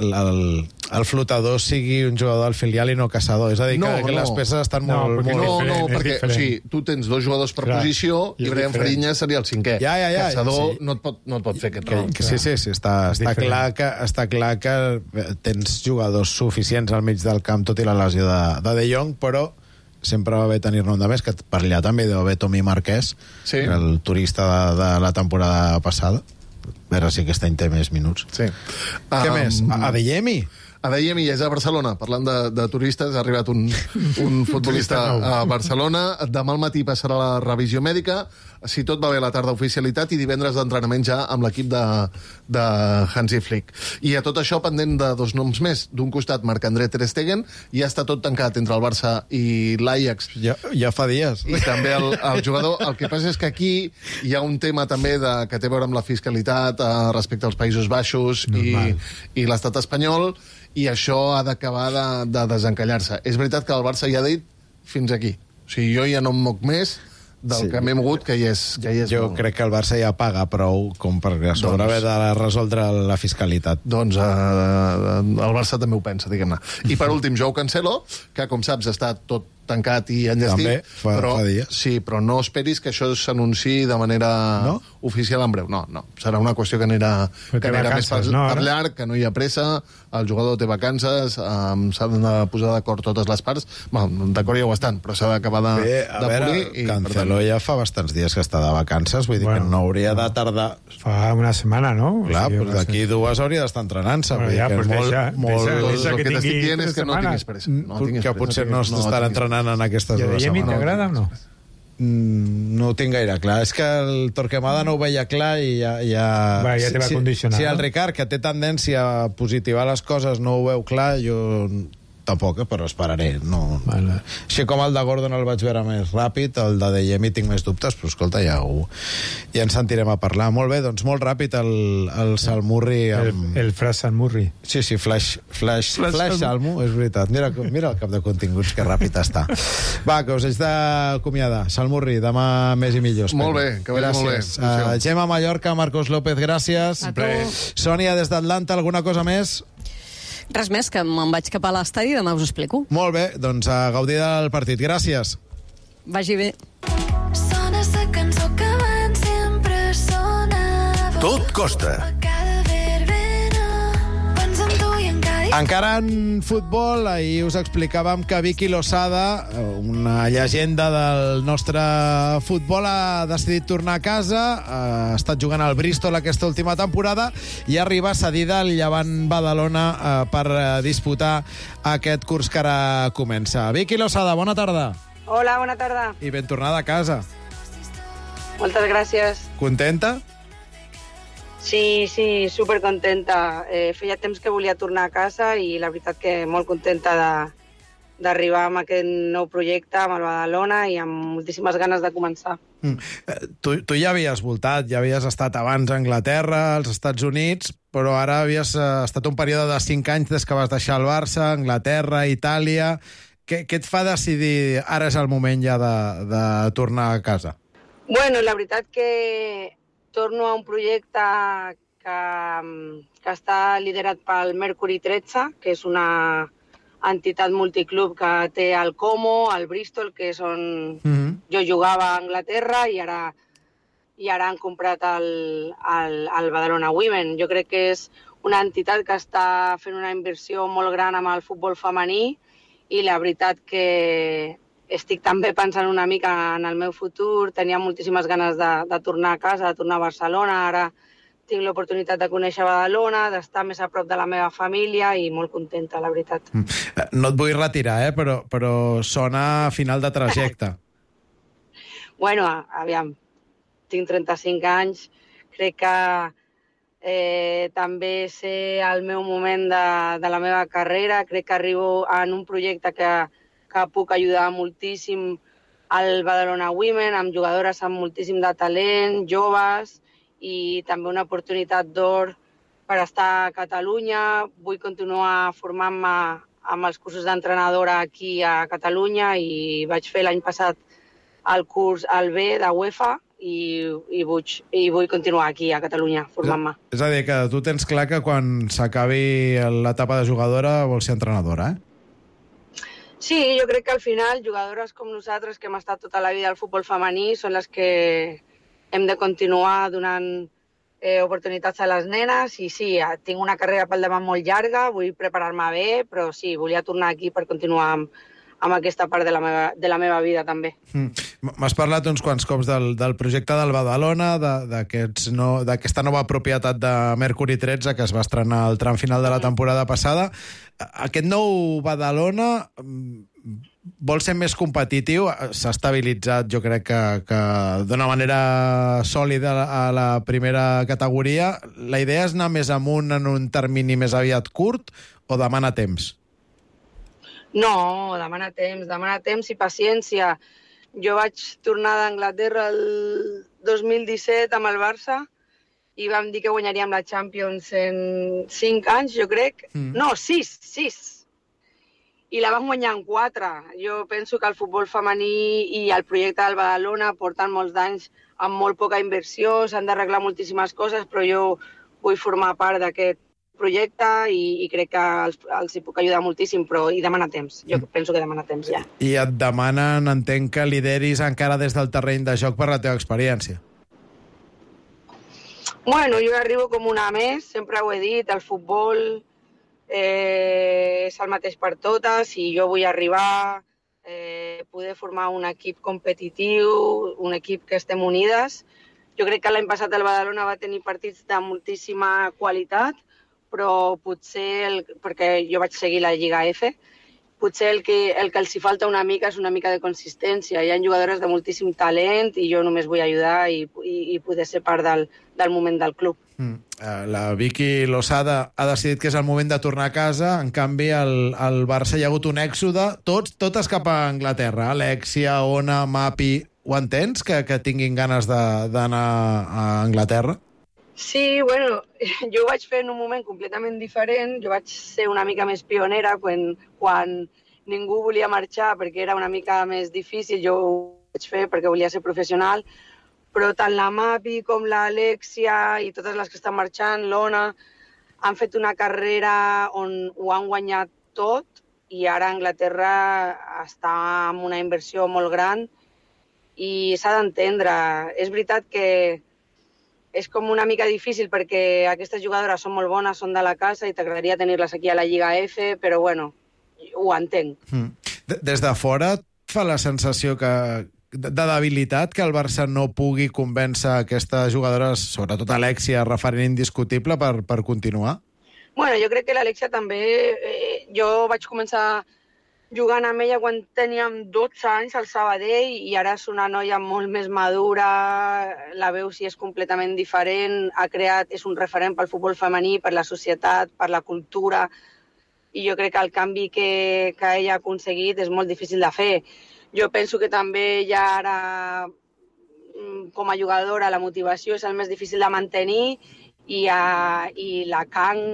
el, el flotador sigui un jugador del filial i no caçador. És a dir, No, que, que no. les peces estan No, molt... perquè, molt... no, diferent, no, és perquè o diferent. sigui, tu tens dos jugadors per Clar, posició i i és Brian diferent. Fariñas seria el cinquè. Ja, ja, ja, Caçador sí. no, et pot, no et pot fer aquest Que, rol. que sí, sí, sí, està, està, diferent. clar que, està clar que tens jugadors suficients al mig del camp, tot i la lesió de, de De Jong, però sempre va bé tenir-ne un de més, que per allà també deu haver Tomí Marquès, Sí. el turista de, de la temporada passada. A veure si aquest any té més minuts. Sí. Què Um, més? A, a Adeyemi? Adeyemi ja és a Barcelona. Parlant de, de turistes, ha arribat un, un futbolista a Barcelona. Demà al matí passarà la revisió mèdica. Si tot va bé, a la tarda oficialitat i divendres d'entrenament ja amb l'equip de, de Hansi Flick. I a tot això pendent de dos noms més. D'un costat, Marc-André Ter Stegen. Ja està tot tancat entre el Barça i l'Ajax. Ja, ja fa dies. I també el, el jugador. El que passa és que aquí hi ha un tema també de, que té a veure amb la fiscalitat eh, respecte als Països Baixos i, i l'estat espanyol, i això ha d'acabar de, de desencallar-se. És veritat que el Barça ja ha dit fins aquí. O sigui, jo ja no em moc més del Sí. que m'he mogut, que ja és, ja hi és Jo molt. crec que el Barça ja paga prou com per a sobre Doncs- haver de resoldre la fiscalitat. Doncs eh, el Barça també ho pensa, diguem-ne. I per últim, Joao Cancelo, que com saps està tot tancat i enllestit. També, fa- però, fa dies. Sí, però no esperis que això s'anunciï de manera No? oficial en breu. No, no. Serà una qüestió que anirà, Però té que anirà més per, vacances, no, per ara? llarg, que no hi ha pressa, el jugador té vacances, um, s'han de posar d'acord totes les parts. Bueno, d'acord ja ho estan, però s'ha d'acabar de, Bé, a de veure, polir. I, per Cancelo tant, ja fa bastants dies que està de vacances, vull dir Bueno, que no hauria de tardar... Fa una setmana, no? Clar, O sigui, doncs d'aquí dues hauria d'estar entrenant-se. Bueno, vull dir ja, que pues és molt, deixa, molt... deixa, doncs deixa el que que t'estic tingui dient és tres que no setmanes. tinguis pressa. No tinguis que pressa. potser no tinguis s'estarà pressa. entrenant en aquestes I a dues Adeyemi setmanes. t'agrada o no? Mm, no ho tinc gaire clar. És que el Torquemada no ho veia clar i ja... ja... Va, ja te va si, condicionar, Si no? el Ricard, que té tendència a positivar les coses, no ho veu clar, jo tampoc, eh, però esperaré. No. Vale. Així com el de Gordon el vaig veure més ràpid, el de Adeyemi tinc més dubtes, però escolta, ja, ho, ja ens sentirem a parlar. Molt bé, doncs molt ràpid el, el Salmurri amb... El, el Fra Salmurri. Sí, sí, flash, flash, Flash flash Salmo. Salmo, és veritat. Mira, mira el cap de continguts, que ràpid està. Va, que us haig d'acomiadar. Salmurri, demà més i millor. espero. Molt bé, que vagi molt bé. Gràcies. Uh, Gemma Mallorca, Marcos López, gràcies. A tu. Sònia, des d'Atlanta, alguna cosa més? Res més, que me'n vaig cap a l'estadi i demà us ho explico. Molt bé, doncs a gaudir del partit. Gràcies. Vagi bé. Sona esa cançó que abans sempre sonava. Tot costa. Cada verbena, penso en tu i en cada... Encara en futbol, ahir us explicàvem que Vicky Losada, una llegenda del nostre futbol, ha decidit tornar a casa, ha estat jugant al Bristol aquesta última temporada i arriba cedida al Llevant Badalona eh, per eh, disputar aquest curs que ara comença. Vicky Losada, bona tarda. Hola, bona tarda. I ben tornada a casa. Moltes gràcies. Contenta? Sí, sí, supercontenta. Eh, feia temps que volia tornar a casa i la veritat que molt contenta de d'arribar amb aquest nou projecte, amb el Badalona, i amb moltíssimes ganes de començar. Mm. Eh, Tu, tu ja havies voltat, ja havies estat abans a Anglaterra, als Estats Units, però ara havies eh, estat un període de cinc anys des que vas deixar el Barça, Anglaterra, Itàlia... Què, què et fa decidir ara és el moment ja de, de tornar a casa? Bueno, la veritat que torno a un projecte que, que està liderat pel Mercury tretze, que és una entitat multiclub que té el Como, el Bristol, que és on Mm-hmm. jo jugava a Anglaterra, i ara, i ara han comprat el, el, el Badalona Women. Jo crec que és una entitat que està fent una inversió molt gran amb el futbol femení, i la veritat que estic també pensant una mica en el meu futur. Tenia moltíssimes ganes de, de tornar a casa, de tornar a Barcelona. Ara tinc l'oportunitat de conèixer Badalona, d'estar més a prop de la meva família, i molt contenta, la veritat. Eh, No et vull retirar, eh? però, però sona a final de trajecte. Bueno, aviam, tinc trenta-cinc anys, crec que eh, també sé el meu moment de, de la meva carrera, crec que arribo en un projecte que, que puc ajudar moltíssim al Badalona Women, amb jugadores amb moltíssim de talent, joves, i també una oportunitat d'or per estar a Catalunya. Vull continuar formant-me amb els cursos d'entrenadora aquí a Catalunya, i vaig fer l'any passat el curs al B de UEFA, i, i, vull, i vull continuar aquí a Catalunya formant-me. És a dir, que tu tens clar que quan s'acabi l'etapa de jugadora vols ser entrenadora, eh? Sí, jo crec que al final jugadores com nosaltres que hem estat tota la vida al futbol femení són les que hem de continuar donant eh, oportunitats a les nenes i sí, tinc una carrera pel davant molt llarga, vull preparar-me bé, però sí, volia tornar aquí per continuar amb, amb aquesta part de la meva, de la meva vida també. Mm. M'has parlat uns quants cops del, del projecte del Badalona, d'aquesta no, nova propietat de Mercury tretze que es va estrenar al tram final de la temporada passada. Aquest nou Badalona vol ser més competitiu, s'ha estabilitzat, jo crec que, que d'una manera sòlida a la primera categoria. La idea és anar més amunt en un termini més aviat curt o demana temps? No, demana temps, demana temps i paciència. Jo vaig tornar d'Anglaterra el dos mil disset amb el Barça i vam dir que guanyaríem la Champions en cinc anys, jo crec. Mm. No, sis, sis. I la vam guanyar en quatre. Jo penso que el futbol femení i el projecte del Badalona porten molts d'anys amb molt poca inversió, s'han d'arreglar moltíssimes coses, però jo vull formar part d'aquest projecte i, i crec que els, els hi puc ajudar moltíssim, però hi demana temps. Jo penso que demana temps, ja. I et demanen, entenc, que lideris encara des del terreny de joc per la teva experiència. Bueno, jo arribo com una més, sempre ho he dit, el futbol eh, és el mateix per totes i jo vull arribar, eh, poder formar un equip competitiu, un equip que estem unides. Jo crec que l'any passat el Badalona va tenir partits de moltíssima qualitat, però potser, el, perquè jo vaig seguir la Lliga F, potser el que, el que els hi falta una mica és una mica de consistència. Hi ha jugadores de moltíssim talent i jo només vull ajudar i, i, i poder ser part del, del moment del club. Mm. La Vicky Losada ha decidit que és el moment de tornar a casa, en canvi al, al Barça hi ha hagut un èxode, tots, totes cap a Anglaterra. Alexia, Ona, Mapi, ho entens, que, que tinguin ganes d'anar a Anglaterra? Sí, bueno, jo ho vaig fer en un moment completament diferent, jo vaig ser una mica més pionera quan, quan ningú volia marxar perquè era una mica més difícil, jo ho vaig fer perquè volia ser professional, però tant la Mapi com l'Alexia i totes les que estan marxant, l'Ona, han fet una carrera on ho han guanyat tot i ara Anglaterra està amb una inversió molt gran i s'ha d'entendre. És veritat que és com una mica difícil perquè aquestes jugadores són molt bones, són de la casa i t'agradaria tenir-les aquí a la Lliga F, però bueno, ho entenc. Mm. Des de fora et fa la sensació que de debilitat que el Barça no pugui convèncer aquestes jugadores, sobretot Alexia, referent indiscutible per, per continuar? Bueno, jo crec que l'Alexia també... Eh, jo vaig començar jugant amb ella quan teníem dotze anys al Sabadell i ara és una noia molt més madura, la veus si és completament diferent, ha creat, és un referent pel futbol femení, per la societat, per la cultura, i jo crec que el canvi que, que ella ha aconseguit és molt difícil de fer. Jo penso que també ja ara, com a jugadora, la motivació és el més difícil de mantenir i, a, i la Kang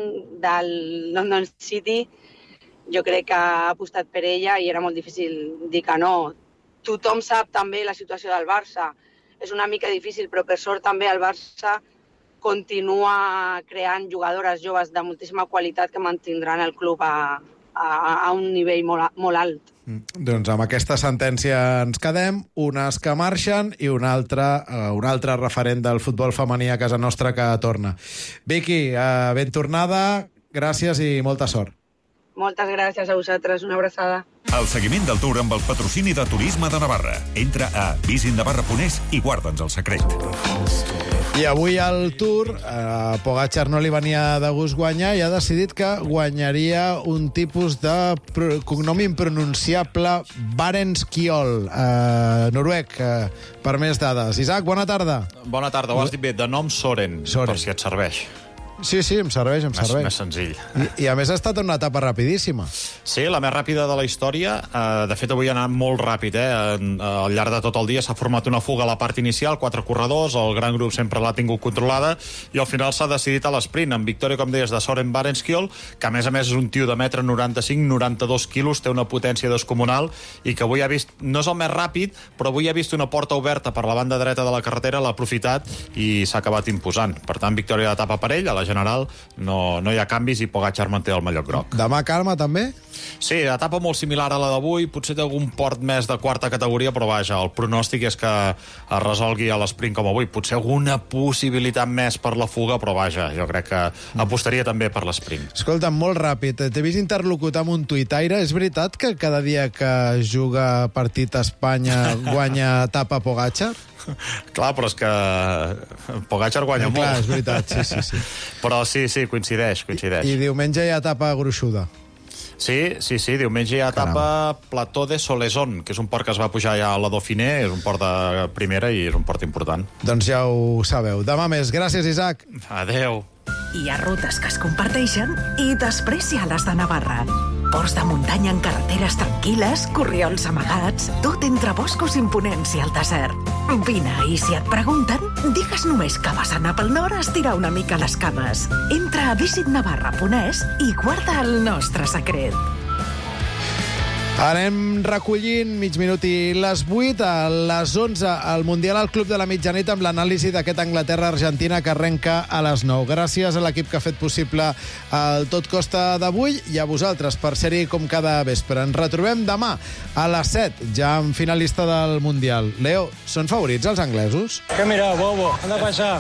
del London City jo crec que ha apostat per ella i era molt difícil dir que no. Tothom sap també la situació del Barça. És una mica difícil, però per sort també el Barça continua creant jugadores joves de moltíssima qualitat que mantindran el club a, a, a un nivell molt, molt alt. Mm. Doncs amb aquesta sentència ens quedem, unes que marxen i una altra, uh, un altre referent del futbol femení a casa nostra que torna. Vicky, uh, ben tornada, gràcies i molta sort. Moltes gràcies a vosaltres, una abraçada. El seguiment del Tour amb el patrocini de Turisme de Navarra. Entra a visit navarra punt es i guarda'ns el secret. I avui al Tour, a Pogačar no li venia de gust guanyar i ha decidit que guanyaria un tipus de cognom impronunciable, Barenskiol, uh, noruec, uh, per més dades. Isaac, bona tarda. Bona tarda, ho has dit bé, de nom Soren, Soren. Per si et serveix. Sí, sí, em serveix, em serveix. Més, més senzill. I, I a més ha estat una etapa rapidíssima. Sí, la més ràpida de la història. Uh, de fet, avui ha anat molt ràpid. Eh? Uh, al llarg de tot el dia s'ha format una fuga a la part inicial, quatre corredors, el gran grup sempre l'ha tingut controlada, i al final s'ha decidit a l'esprint, amb victòria, com deies, de Søren Barenskiol, que a més a més és un tio de metre noranta-cinc, noranta-dos quilos, té una potència descomunal, i que avui ha vist, no és el més ràpid, però avui ha vist una porta oberta per la banda dreta de la carretera, l'ha aprofitat i s'ha acabat imposant. Per tant, victòria d'etapa per ell, a la general no, no hi ha canvis i Pogačar manté el mallot groc. Demà calma, també? Sí, etapa molt similar a la d'avui, potser té algun port més de quarta categoria, però vaja, el pronòstic és que es resolgui a l'esprint com avui. Potser alguna possibilitat més per la fuga, però vaja, jo crec que apostaria també per l'esprint. Escolta, molt ràpid, t'he vist interlocutar amb un tuitaire. És veritat que cada dia que juga partit a Espanya guanya etapa Pogačar? Clar, però és que Pogačar guanya eh, molt. Clar, és veritat, sí, sí, sí. Però sí, sí, coincideix, coincideix. I, i diumenge hi ha etapa gruixuda. Sí, sí, sí, diumenge hi ha etapa Plató de Soleson, que és un port que es va pujar ja a la Dauphiné, és un port de primera i és un port important. Doncs ja ho sabeu. Demà més. Gràcies, Isaac. Adeu. Hi ha rutes que es comparteixen i després hi ha les de Navarra. Ports de muntanya en carreteres tranquil·les, corriols amagats, tot entre boscos imponents i el desert. Vine, i si et pregunten, digues només que vas anar pel nord a estirar una mica les cames. Entra a visit navarra punt es i guarda el nostre secret. Anem recollint mig minut i les vuit. A les onze, al Mundial al Club de la Mitjanit, amb l'anàlisi d'aquest Anglaterra-Argentina que arrenca a les nou. Gràcies a l'equip que ha fet possible el Tot Costa d'avui i a vosaltres per ser-hi com cada vespre. Ens retrobem demà a les set, ja amb finalista del Mundial. Leo, són favorits els anglesos? Què mira, bobo? Anda pa allá.